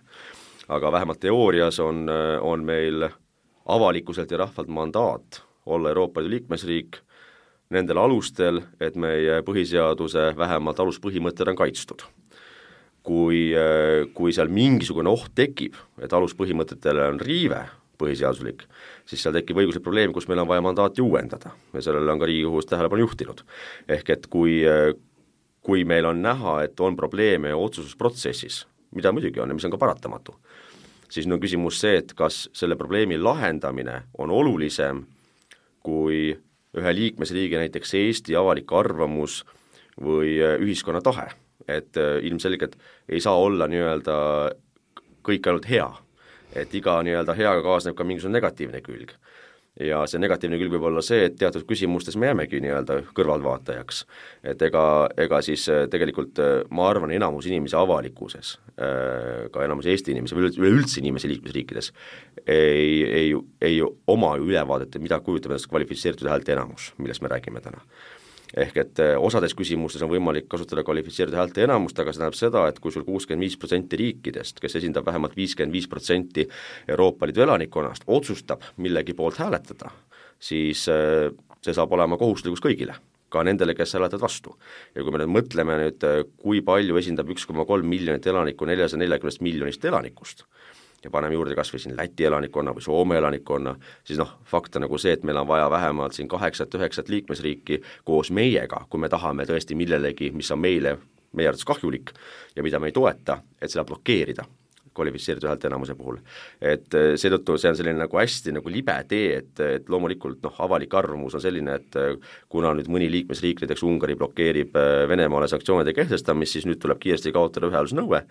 Aga vähemalt teoorias on, on meil avalikkuselt ja rahvalt mandaat olla Euroopa Liidu liikmesriik nendel alustel, et meie põhiseaduse vähemalt aluspõhimõtted on kaitstud. Kui, kui seal mingisugune oht tekib, et aluspõhimõtetele on riive põhiseaduslik, siis seal tekib õiguslik probleem, kus meil on vaja mandaati uuendada ja sellele on ka Riigikohus tähelepanu juhtinud. Ehk et kui, kui meil on näha, et on probleeme otsustusprotsessis, mida muidugi on ja mis on ka paratamatu, siis on küsimus see, et kas selle probleemi lahendamine on olulisem kui ühe liikmesriigi, näiteks Eesti avalik arvamus või ühiskonna tahe. Et ilmselgelt ei saa olla nii-öelda kõik ainult hea, et iga nii-öelda heaga kaasneb ka mingisugune negatiivne külg. Ja see negatiivne külg võib olla see, et teatud küsimustes me jäämegi nii-öelda kõrvalvaatajaks. Et ega, ega siis tegelikult ma arvan enamus inimesi avalikkuses, ka enamus Eesti inimesi või üleüldse inimesi liikmesriikides ei, ei, ei oma ülevaadet, mida kujutab endast kvalifitseeritud häälte enamus, millest me räägime täna. Ehk et osades küsimustes on võimalik kasutada kvalifitseeritud häälte enamust, aga see tähendab seda, et kui sul kuuskümmend viis protsenti riikidest, kes esindab vähemalt viiskümmend viis protsenti Euroopa Liidu elanikkonnast, otsustab millegi poolt hääletada, siis see saab olema kohustuslikus kõigile, ka nendele, kes hääletavad vastu. Ja kui me nüüd mõtleme nüüd, kui palju esindab üks koma kolm miljonit elanikku neljasaja neljakümne miljonist elanikust, ja paneme juurde kas või siin Läti elanikkonna või Soome elanikkonna, siis noh, fakt on nagu see, et meil on vaja vähemalt siin kaheksat, üheksat liikmesriiki koos meiega, kui me tahame tõesti millelegi, mis on meile, meie arvates kahjulik ja mida me ei toeta, et seda blokeerida kvalifitseeritud häälte enamuse puhul. Et seetõttu see on selline nagu hästi nagu libe tee, et, et loomulikult noh, avalik arvamus on selline, et kuna nüüd mõni liikmesriik, näiteks Ungari blokeerib Venemaale sanktsioonide kehtestamist, siis nüüd tuleb kiiresti kaotada ühehäälsusnõue.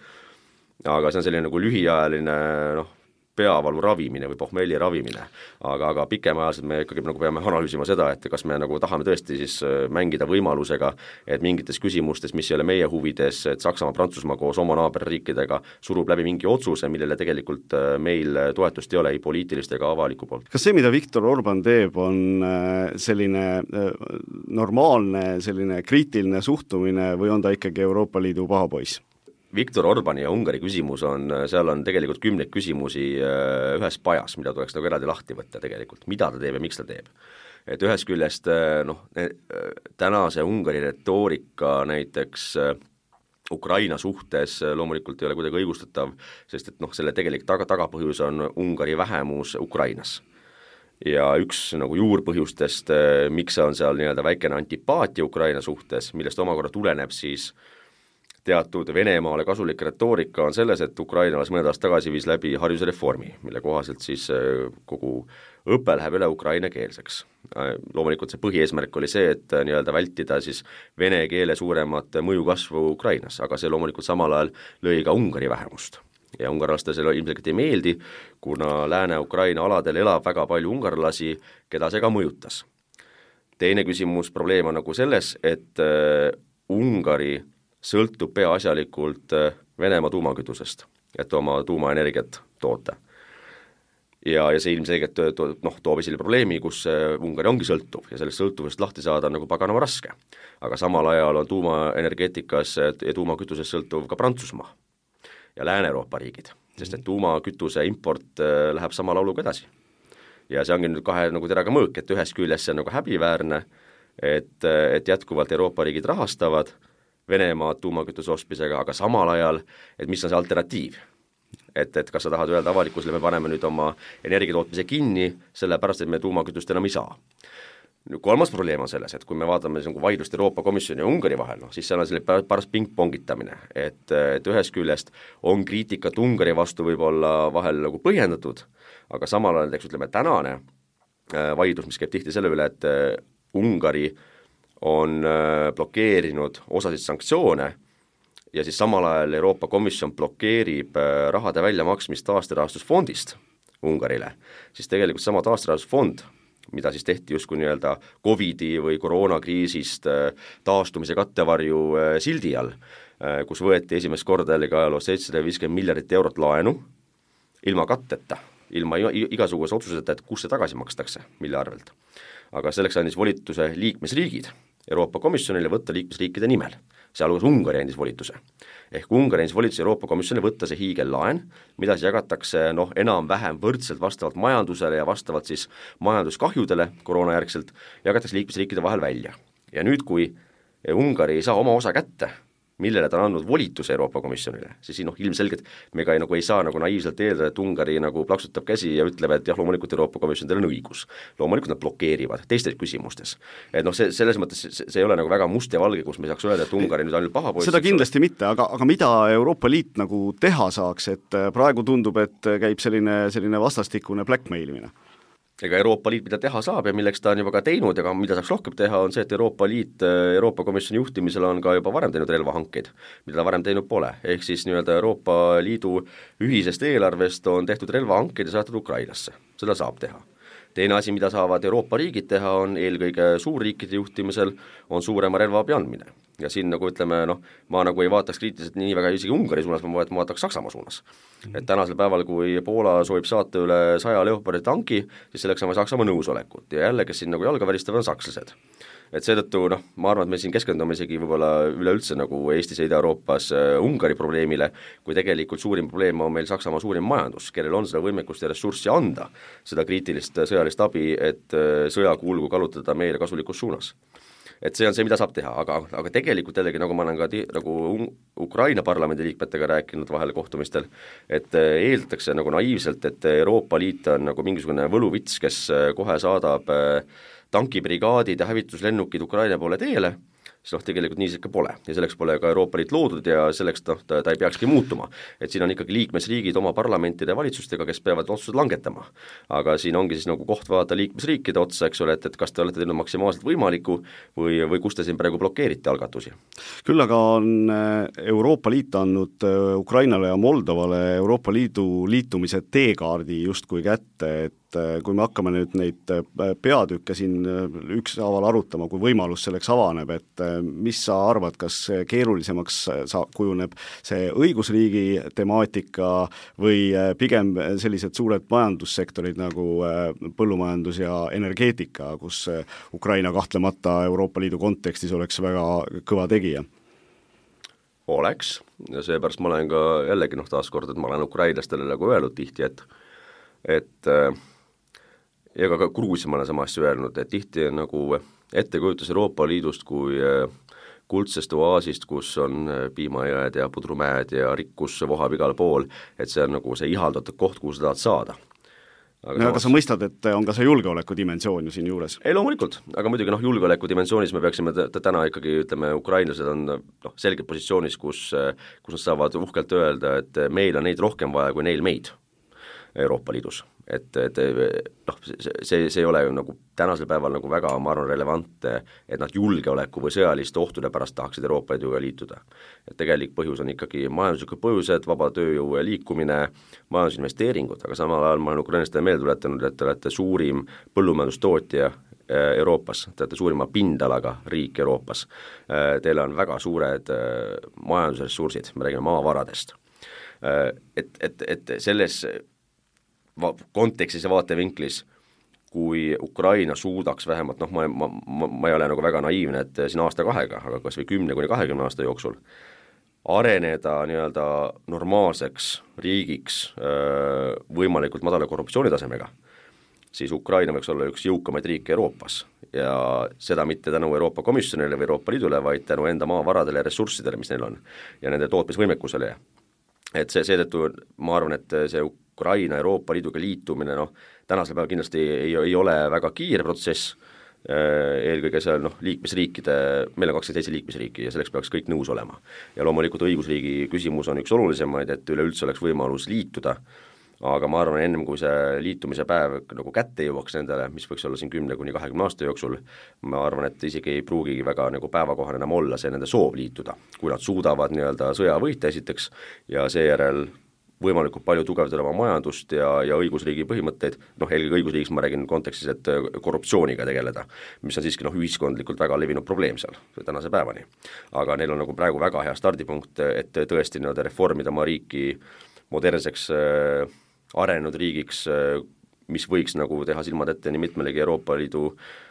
Aga see on selline nagu lühiajaline noh, peavalu ravimine või pohmelli ravimine, aga, aga pikemaajaliselt me ikkagi nagu peame analüüsima seda, et kas me nagu tahame tõesti siis mängida võimalusega, et mingites küsimustes, mis ei ole meie huvides, et Saksamaa, Prantsusmaa koos oma naaberriikidega surub läbi mingi otsuse, millele tegelikult meil toetust ei ole ei poliitilist ega avaliku poolt. Kas see, mida Viktor Orban teeb, on selline normaalne, selline kriitiline suhtumine või on ta ikkagi Euroopa Liidu pahapoiss? Viktor Orbani ja Ungari küsimus on, seal on tegelikult kümneid küsimusi ühes pajas, mida tuleks nagu eraldi lahti võtta tegelikult, mida ta teeb ja miks ta teeb. Et ühes küljest noh, tänase Ungari retoorika näiteks Ukraina suhtes loomulikult ei ole kuidagi õigustatav, sest et noh, selle tegelik taga, tagapõhjus on Ungari vähemus Ukrainas. Ja üks nagu juurpõhjustest, miks on seal nii-öelda väikene antipaatia Ukraina suhtes, millest omakorda tuleneb siis teatud Venemaale kasulik retoorika on selles, et Ukraina alles mõned aastad tagasi viis läbi haridusreformi, mille kohaselt siis kogu õpe läheb üle ukraina keelseks. Loomulikult see põhieesmärk oli see, et nii-öelda vältida siis vene keele suuremat mõju kasvu Ukrainas, aga see loomulikult samal ajal lõi ka Ungari vähemust. Ja ungarlaste selle ilmselgelt ei meeldi, kuna Lääne-Ukraina aladel elab väga palju ungarlasi, keda see ka mõjutas. Teine küsimus, probleem on nagu selles, et Ungari sõltub peaasjalikult Venemaa tuumakütusest, et oma tuumaenergiat toota. Ja, ja see ilmselgelt to, noh, toob esile probleemi, kus Ungari ongi sõltuv ja sellest sõltuvust lahti saada on nagu paganama raske. Aga samal ajal on tuumaenergeetikas ja tuumakütusest sõltuv ka Prantsusmaa ja Lääne-Euroopa riigid, sest et tuumakütuse import läheb sama lauluga edasi. Ja see ongi nüüd kahe nagu teraga mõõk, et ühes küljes see on nagu häbiväärne, et, et jätkuvalt Euroopa riigid rahastavad Venemaa tuumakütuse ostmisega, aga samal ajal, et mis on see alternatiiv. Et, et kas sa tahad öelda avalikkusele, me paneme nüüd oma energiatootmise kinni, sellepärast, et me tuumakütust enam ei saa. Kolmas probleem on selles, et kui me vaatame nagu vaidlust Euroopa Komisjoni ja Ungari vahel, no, siis seal on selle paras pingpongitamine, et, et ühest küljest on kriitikat Ungari vastu võib-olla vahel nagu põhjendatud, aga samal ajal, eks ütleme, tänane vaidlus, mis käib tihti selle üle, et Ungari on blokeerinud osasid sanktsioone ja siis samal ajal Euroopa Komisjon blokeerib rahade väljamaksmist taasterahastusfondist Ungarile, siis tegelikult sama taasterahastusfond, mida siis tehti justkui nii-öelda Covidi või koroonakriisist taastumise kattevarju sildi all, kus võeti esimest korda jällegi ajaloos seitsesada viiskümmend miljardit eurot laenu ilma katteta, ilma igasuguse otsuseta, et kus see tagasi makstakse, mille arvelt. Aga selleks andis volituse liikmesriigid Euroopa Komisjonile võtta liikmesriikide nimel, sealhulgas Ungari andis volituse. Ehk Ungari andis volituse Euroopa Komisjoni võtta see hiigellaen, mida siis jagatakse noh, enam-vähem võrdselt vastavalt majandusele ja vastavalt siis majanduskahjudele koroonajärgselt, jagatakse liikmesriikide vahel välja. Ja nüüd, kui Ungari ei saa oma osa kätte, millele ta on andnud volituse Euroopa Komisjonile, siis noh, ilmselgelt me ka nagu ei saa nagu naiivselt eeldada, et Ungari nagu plaksutab käsi ja ütleb, et jah, loomulikult Euroopa Komisjon teil on õigus. Loomulikult nad blokeerivad teistes küsimustes. Et noh, see, selles mõttes see, see ei ole nagu väga must ja valge, kus me saaks öelda, et Ungari nüüd ainult paha poiss. Seda kindlasti ole. mitte, aga, aga mida Euroopa Liit nagu teha saaks, et praegu tundub, et käib selline, selline vastastikune blackmailimine? Ega Euroopa Liit, mida teha saab ja milleks ta on juba ka teinud, aga mida saaks rohkem teha, on see, et Euroopa Liit Euroopa Komisjoni juhtimisel on ka juba varem teinud relvahankeid, mida ta varem teinud pole. Ehk siis nii-öelda Euroopa Liidu ühisest eelarvest on tehtud relvahankeid ja saatud Ukrainasse. Seda saab teha. Teine asi, mida saavad Euroopa riigid teha, on eelkõige suurriikide juhtimisel on suurema relvaabi andmine. Ja siin nagu ütleme, noh, ma nagu ei vaataks kriitiliselt nii väga isegi Ungari suunas, ma vaataks Saksamaa suunas. Et tänasel päeval, kui Poola soovib saata üle saja Leopardi tanki, siis selleks on Saksamaa nõusolekut ja jälle, kes siin nagu jalga välistavad, on sakslased. Et seetõttu, noh, ma arvan, et me siin keskendume isegi võib-olla üleüldse nagu Eestis ja Ida-Euroopas Ungari probleemile, kui tegelikult suurim probleem on meil Saksamaa suurim majandus, kellel on seda võimekust ja ressurssi anda, seda kriitilist sõjalist abi, et sõjakulgu kallutada meile kasulikus suunas. Et see on see, mida saab teha, aga, aga tegelikult jällegi, nagu ma olen ka ti, nagu Ukraina parlamendi liikmetega rääkinud vahel kohtumistel, et eeldatakse nagu naiivselt, et Euroopa Liit on nagu mingisugune võluvits, kes kohe saadab tankibrigaadid ja hävituslennukid Ukraina poole teele, siis noh, tegelikult nii see ikka pole ja selleks pole ka Euroopa Liit loodud ja selleks noh, ta, ta ei peakski muutuma. Et siin on ikkagi liikmesriigid oma parlamentide ja valitsustega, kes peavad otsused langetama. Aga siin ongi siis nagu koht vaadata liikmesriikide otsa, eks ole, et, et kas te olete teinud maksimaalselt võimaliku või, või kus te siin praegu blokeerite algatusi. Küll aga on Euroopa Liit andnud Ukrainale ja Moldovale Euroopa Liidu liitumise teekaardi justkui kätte, et kui me hakkame nüüd neid peatükke siin ükshaaval arutama, kui võimalus selleks avaneb, et mis sa arvad, kas keerulisemaks sa kujuneb see õigusriigi temaatika või pigem sellised suured majandussektorid nagu põllumajandus ja energeetika, kus Ukraina kahtlemata Euroopa Liidu kontekstis oleks väga kõva tegija? Oleks, ja seepärast ma olen ka jällegi noh taaskord, et ma olen ukrainlastele nagu öelnud tihti, et et ja ka Gruusia ma olen sama asja öelnud, et tihti on nagu ettekujutus Euroopa Liidust kui kuldsest oaasist, kus on piimajõed ja pudrumäed ja rikkus vohab igal pool, et see on nagu see ihaldatud koht, kuhu sa tahad saada. Aga, no, aga sa mõistad, et on ka see julgeoleku dimensioon ju siin juures? Ei, loomulikult, aga muidugi noh, julgeoleku dimensioonis me peaksime t- täna ikkagi, ütleme, ukrainlased on noh, selgelt positsioonis, kus, kus nad saavad uhkelt öelda, et meil on neid rohkem vaja kui neil meid Euroopa Liidus. Et, et noh, see, see, see ei ole nagu tänasel päeval nagu väga, ma arvan, relevantne, et nad julgeoleku või sõjaliste ohtude pärast tahaksid Euroopa Liiduga liituda. Et tegelik põhjus on ikkagi majanduslikud põhjused, vaba tööjõu liikumine, majandusinvesteeringud, aga samal ajal ma olen ukrainlastele meelde tuletanud, et te olete suurim põllumajandustootja Euroopas, te olete suurima pindalaga riik Euroopas. Teil on väga suured majandusressursid, me räägime maavaradest. Et, et, et selles kontekstis ja vaatevinklis, kui Ukraina suudaks vähemalt, noh, ma, ma, ma, ma ei ole nagu väga naiivne, et siin aasta kahega, aga kas või kümne kuni kahekümne aasta jooksul areneda nii-öelda normaalseks riigiks võimalikult madala korruptsioonitasemega, siis Ukraina võiks olla üks jõukamaid riike Euroopas ja seda mitte tänu Euroopa Komisjonile või Euroopa Liidule, vaid tänu enda maavaradele ja ressurssidele, mis neil on, ja nende tootmisvõimekusele. Et see, seetõttu ma arvan, et see Ukraina Euroopa Liiduga liitumine, noh, tänasel päeval kindlasti ei, ei ole väga kiire protsess, eelkõige seal noh, liikmesriikide, meil on kakskümmend seitse liikmesriiki ja selleks peaks kõik nõus olema. Ja loomulikult õigusriigi küsimus on üks olulisemaid, et üleüldse oleks võimalus liituda, aga ma arvan, ennem kui see liitumise päev nagu kätte jõuaks nendele, mis võiks olla siin kümne kuni kahekümne aasta jooksul, ma arvan, et isegi ei pruugigi väga nagu päevakohane enam olla see nende soov liituda, kui nad suudavad nii-öelda sõja võita esiteks ja seejärel võimalikult palju tugevdada oma majandust ja, ja õigusriigi põhimõtteid, noh, eelkõige õigusriigis ma räägin kontekstis, et korruptsiooniga tegeleda, mis on siiski noh, ühiskondlikult väga levinud probleem seal tänase päevani. Aga neil on nagu praegu väga hea stardipunkt, et tõesti nii-öelda reformida oma riiki modernseks äh, arenenud riigiks, äh, mis võiks nagu teha silmad ette nii mitmelegi Euroopa Liidu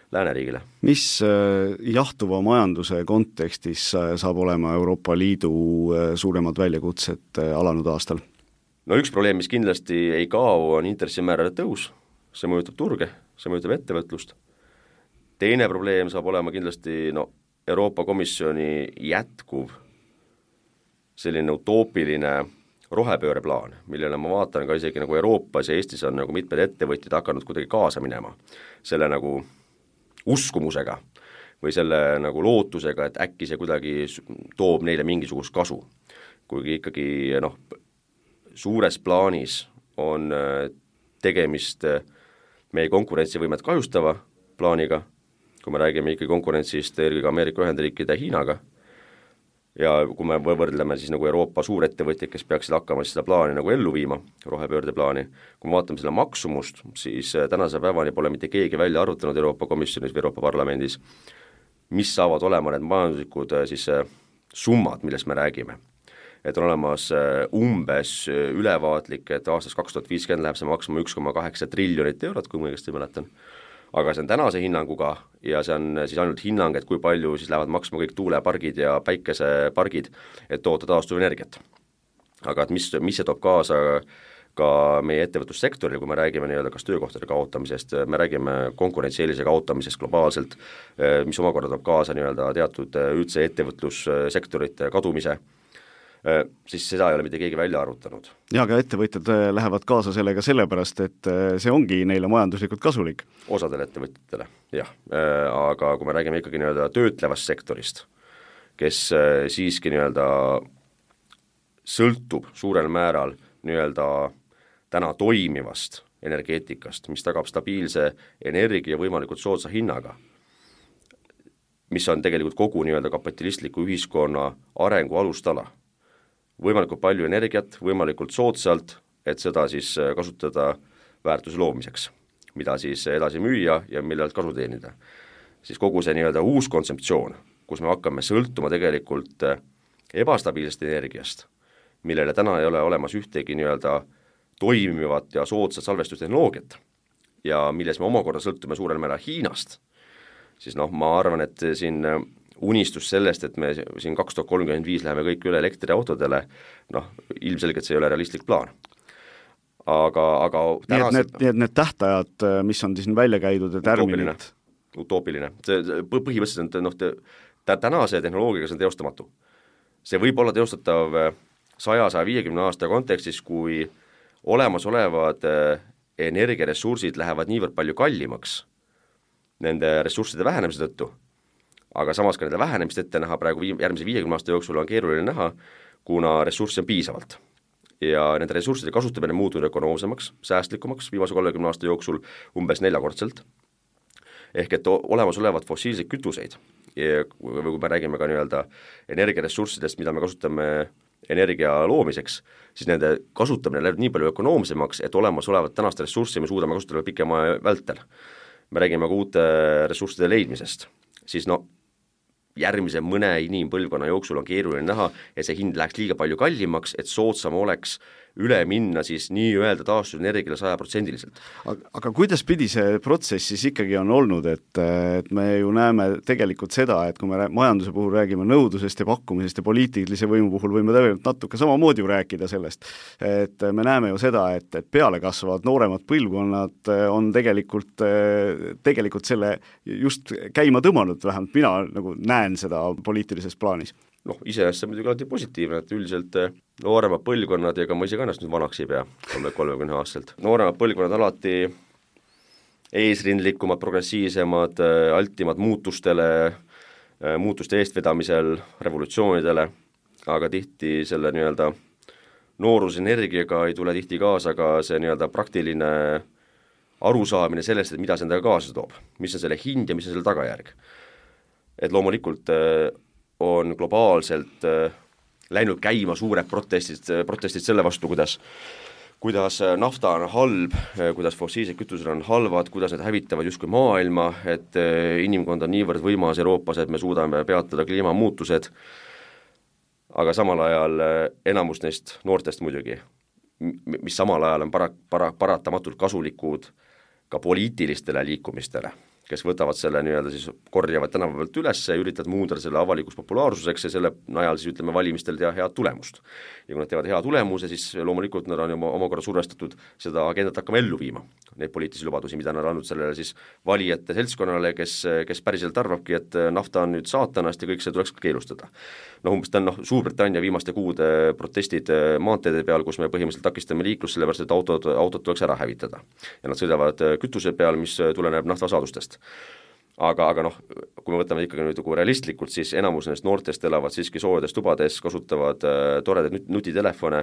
lääneriigile. Mis äh, jahtuva majanduse kontekstis äh, saab olema Euroopa Liidu äh, suuremad väljakutsed äh, alanud aastal? No üks probleem, mis kindlasti ei kao, on intressimäärade tõus, see mõjutab turge, see mõjutab ettevõtlust. Teine probleem saab olema kindlasti no, Euroopa Komisjoni jätkuv selline utoopiline rohepööreplaan, millele ma vaatan ka isegi nagu Euroopas ja Eestis on nagu mitmed ettevõtjad hakanud kuidagi kaasa minema selle nagu uskumusega või selle nagu lootusega, et äkki see kuidagi toob neile mingisugust kasu. Kuigi ikkagi noh, suures plaanis on tegemist meie konkurentsivõimet kahjustava plaaniga, kui me räägime ikka konkurentsist eelkõige Ameerika Ühendriikide ja Hiinaga, ja kui me võrdleme siis nagu Euroopa suurettevõtjad, kes peaksid hakkama seda plaani nagu ellu viima, rohepöörde plaani, kui me vaatame selle maksumust, siis tänase päevani pole mitte keegi välja arutanud Euroopa Komisjonis või Euroopa Parlamendis, mis saavad olema need majanduslikud siis summad, millest me räägime. Et on olemas umbes ülevaatlik, et aastast kaks tuhat viiskümmend läheb see maksma üks koma kaheksa triljonit eurot, kui ma õigesti mäletan. Aga see on tänase hinnanguga ja see on siis ainult hinnang, et kui palju siis lähevad maksma kõik tuulepargid ja päikesepargid, et toota taastuvenergiat. Aga et mis, mis see toob kaasa ka meie ettevõtlussektoril, kui me räägime nii-öelda kas töökohtade kaotamisest, me räägime konkurentsieelise kaotamisest globaalselt, mis omakorda toob kaasa nii-öelda teatud üldse ettevõtlussektorite kadumise, siis seda ei ole mitte keegi välja arutanud. Ja, aga ettevõtjad lähevad kaasa sellega sellepärast, et see ongi neile majanduslikult kasulik. Osadele ettevõtjatele, jah. Aga kui me räägime ikkagi nii-öelda töötlevast sektorist, kes siiski nii-öelda sõltub suurel määral nii-öelda täna toimivast energeetikast, mis tagab stabiilse energia võimalikult soodsa hinnaga, mis on tegelikult kogu nii-öelda kapitalistliku ühiskonna arengu alustala. Võimalikult palju energiat, võimalikult soodsalt, et seda siis kasutada väärtuse loomiseks, mida siis edasi müüa ja millelt kasu teenida. Siis kogu see nii-öelda uus kontseptsioon, kus me hakkame sõltuma tegelikult ebastabiilsest energiast, millele täna ei ole olemas ühtegi nii-öelda toimivat ja soodsat salvestustehnoloogiat ja milles me omakorda sõltume suurel määral Hiinast, siis noh, ma arvan, et siin unistus sellest, et me siin kaks tuhat kolmkümmend viis läheme kõik üle elektriautodele, noh, ilmselgelt see ei ole realistlik plaan. Aga, aga tänased... Nii et need, need, need tähtajad, mis on siin välja käidud ja tärminid... Utoopiline. See põhimõtteliselt on, noh, te, tänase tehnoloogiaga see on teostamatu. See võib olla teostatav sada saja viiekümne aasta kontekstis, kui olemasolevad energiaressursid lähevad niivõrd palju kallimaks nende ressursside vähenemise tõttu, aga samas ka nende vähenemist ette näha praegu viim- järgmise viiekümne aasta jooksul on keeruline näha, kuna ressurssi on piisavalt. Ja nende ressursside kasutamine muutunud ökonoomsemaks, säästlikumaks viimase kolmekümne aasta jooksul umbes neljakordselt. Ehk et olemasolevad fossiilseid kütuseid, ja kui me räägime ka nii-öelda energiaressurssidest, mida me kasutame energia loomiseks, siis nende kasutamine läheb nii palju ökonoomsemaks, et olemasolevat tänast ressurssi me suudame kasutada pikema vältel. Me räägime ka uute ressursside leidmisest, siis no järgmise mõne inimpõlvkonna jooksul on keeruline näha, et see hind läheks liiga palju kallimaks, et soodsam oleks üle minna siis nii-öelda taastuvenergiale sajaprotsendiliselt. Aga, aga kuidas pidi see protsess siis ikkagi on olnud, et, et me ju näeme tegelikult seda, et kui me majanduse puhul räägime nõudlusest ja pakkumisest ja poliitilise võimu puhul võime tegelikult natuke samamoodi ju rääkida sellest, et me näeme ju seda, et, et peale kasvavad nooremad põlvkonnad on tegelikult, tegelikult selle just käima tõmmanud, vähemalt mina nagu näen seda poliitilises plaanis. Noh, iseenesest see muidugi alati positiivne, et üldiselt nooremad põlvkonnad, ega ma ise ka ennast nüüd vanaks ei pea, kolmekümne aastaselt. Nooremad põlvkonnad alati eesrindlikumad, progressiivsemad, altimad muutustele, muutuste eestvedamisel, revolutsioonidele, aga tihti selle nii-öelda noorusenergiaga ei tule tihti kaasa ka see nii-öelda praktiline arusaamine sellest, et mida see endaga kaasa toob, mis on selle hind ja mis on selle tagajärg. Et loomulikult on globaalselt äh, läinud käima suured protestid, protestid selle vastu, kuidas, kuidas nafta on halb, kuidas fossiilsed kütused on halvad, kuidas need hävitavad justkui maailma, et äh, inimkond on niivõrd võimas Euroopas, et me suudame peatada kliimamuutused, aga samal ajal äh, enamus neist noortest muidugi, mis samal ajal on para, para, paratamatult kasulikud ka poliitilistele liikumistele, kes võtavad selle nii-öelda siis korjavad tänava pealt üles ja üritavad muundada selle avalikus populaarsuseks ja selle najal siis ütleme valimistel teha head tulemust. Ja kui nad teevad hea tulemuse, siis loomulikult nad on oma, omakorda survestatud seda agendat hakkama ellu viima. Neid poliitilisi lubadusi, mida nad on andnud sellele siis valijate seltskonnale, kes, kes päriselt arvabki, et nafta on nüüd saatanast ja kõik see tuleks keelustada. No umbes ta on noh, Suurbritannia viimaste kuude protestid maanteede peal, kus me põhimõtteliselt takistame liiklust, sellepärast et autod, autod tuleks ära hävitada. Ja nad sõidavad kütuse peal, mis tuleneb naftasaadustest. Aga, aga noh, kui me võtame ikkagi nüüd realistlikult, siis enamus nendest noortest elavad siiski soodes tubades, kasutavad äh, toredaid nut- nutitelefone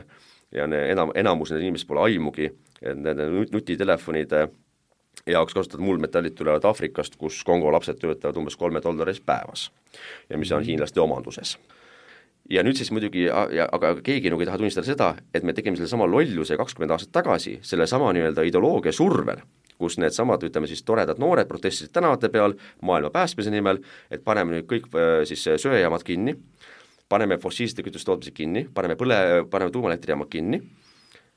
ja ne, enam, enamus nende inimesed pole aimugi, et nende nutitelefonide jaoks kasutatud muldmetallid tulevad Aafrikast, kus Kongo lapsed töötavad umbes kolme dollaris päevas ja mis on hiinlaste omanduses. Ja nüüd siis muidugi, aga keegi nagu ei taha tunnistada seda, et me tegime selle sama lolluse kakskümmend aastat tagasi, selle sama nii-öelda ideoloogia survel, kus need samad, ütleme siis toredad noored protestisid tänavate peal maailma päästmise nimel, et paneme nüüd kõik siis söejaamad kinni, paneme fossiilsete kütuste tootmise kinni, paneme põle, paneme tuumaelektrijaamad kinni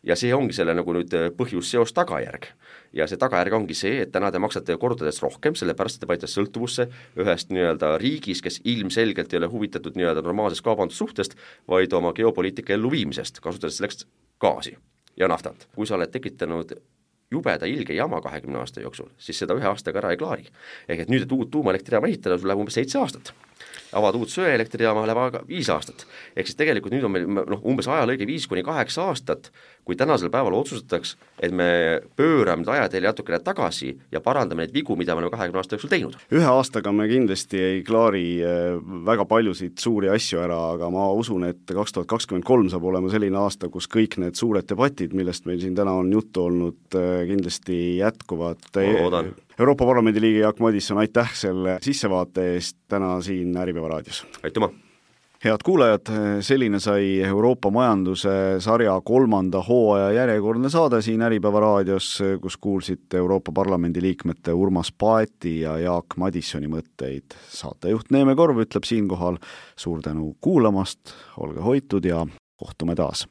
ja see ongi selle nagu nüüd põhjus seos tagajärg. Ja see tagajärg ongi see, et täna te maksate kordades rohkem, sellepärast te panite sõltuvusse ühest nii-öelda riigis, kes ilmselgelt ei ole huvitatud nii-öelda normaalsest kaubandussuhtest, vaid oma geopoliitika elluviimisest, kasutades selleks gaasi ja naftat. Kui sa oled tekitanud jubeda ilge jama kahekümne aasta jooksul, siis seda ühe aastaga ära ei klaari. Ehk et nüüd, et uut tuumaelektrijaama ehitada, sul läheb umbes seitse aastat. Avad uut söeelektrijaama läheb aga viis aastat. Ehk siis tegelikult nüüd on meil no, umbes ajalõige viis kuni kaheksa aastat, kui tänasel päeval otsustataks, et me pöörame ajatelje natukene tagasi ja parandame neid vigu, mida me oleme kahekümne aasta jooksul teinud. Ühe aastaga me kindlasti ei klaari väga paljusid suuri asju ära, aga ma usun, et kaks tuhat kakskümmend kolm saab olema selline aasta, kus kõik need suured debatid, millest meil siin täna on juttu olnud, kindlasti jätkuvad. Euroopa Parlamendi liige Jaak Madisson, aitäh selle sissevaate eest täna siin Äripäeva raadios. Aitüma! Head kuulajad, selline sai Euroopa majanduse sarja kolmanda hooaja järjekordne saade siin Äripäeva raadios, kus kuulsite Euroopa Parlamendi liikmete Urmas Paeti ja Jaak Madissoni mõtteid. Saatejuht Neeme Korv ütleb siinkohal suur tänu kuulamast, olge hoitud ja kohtume taas!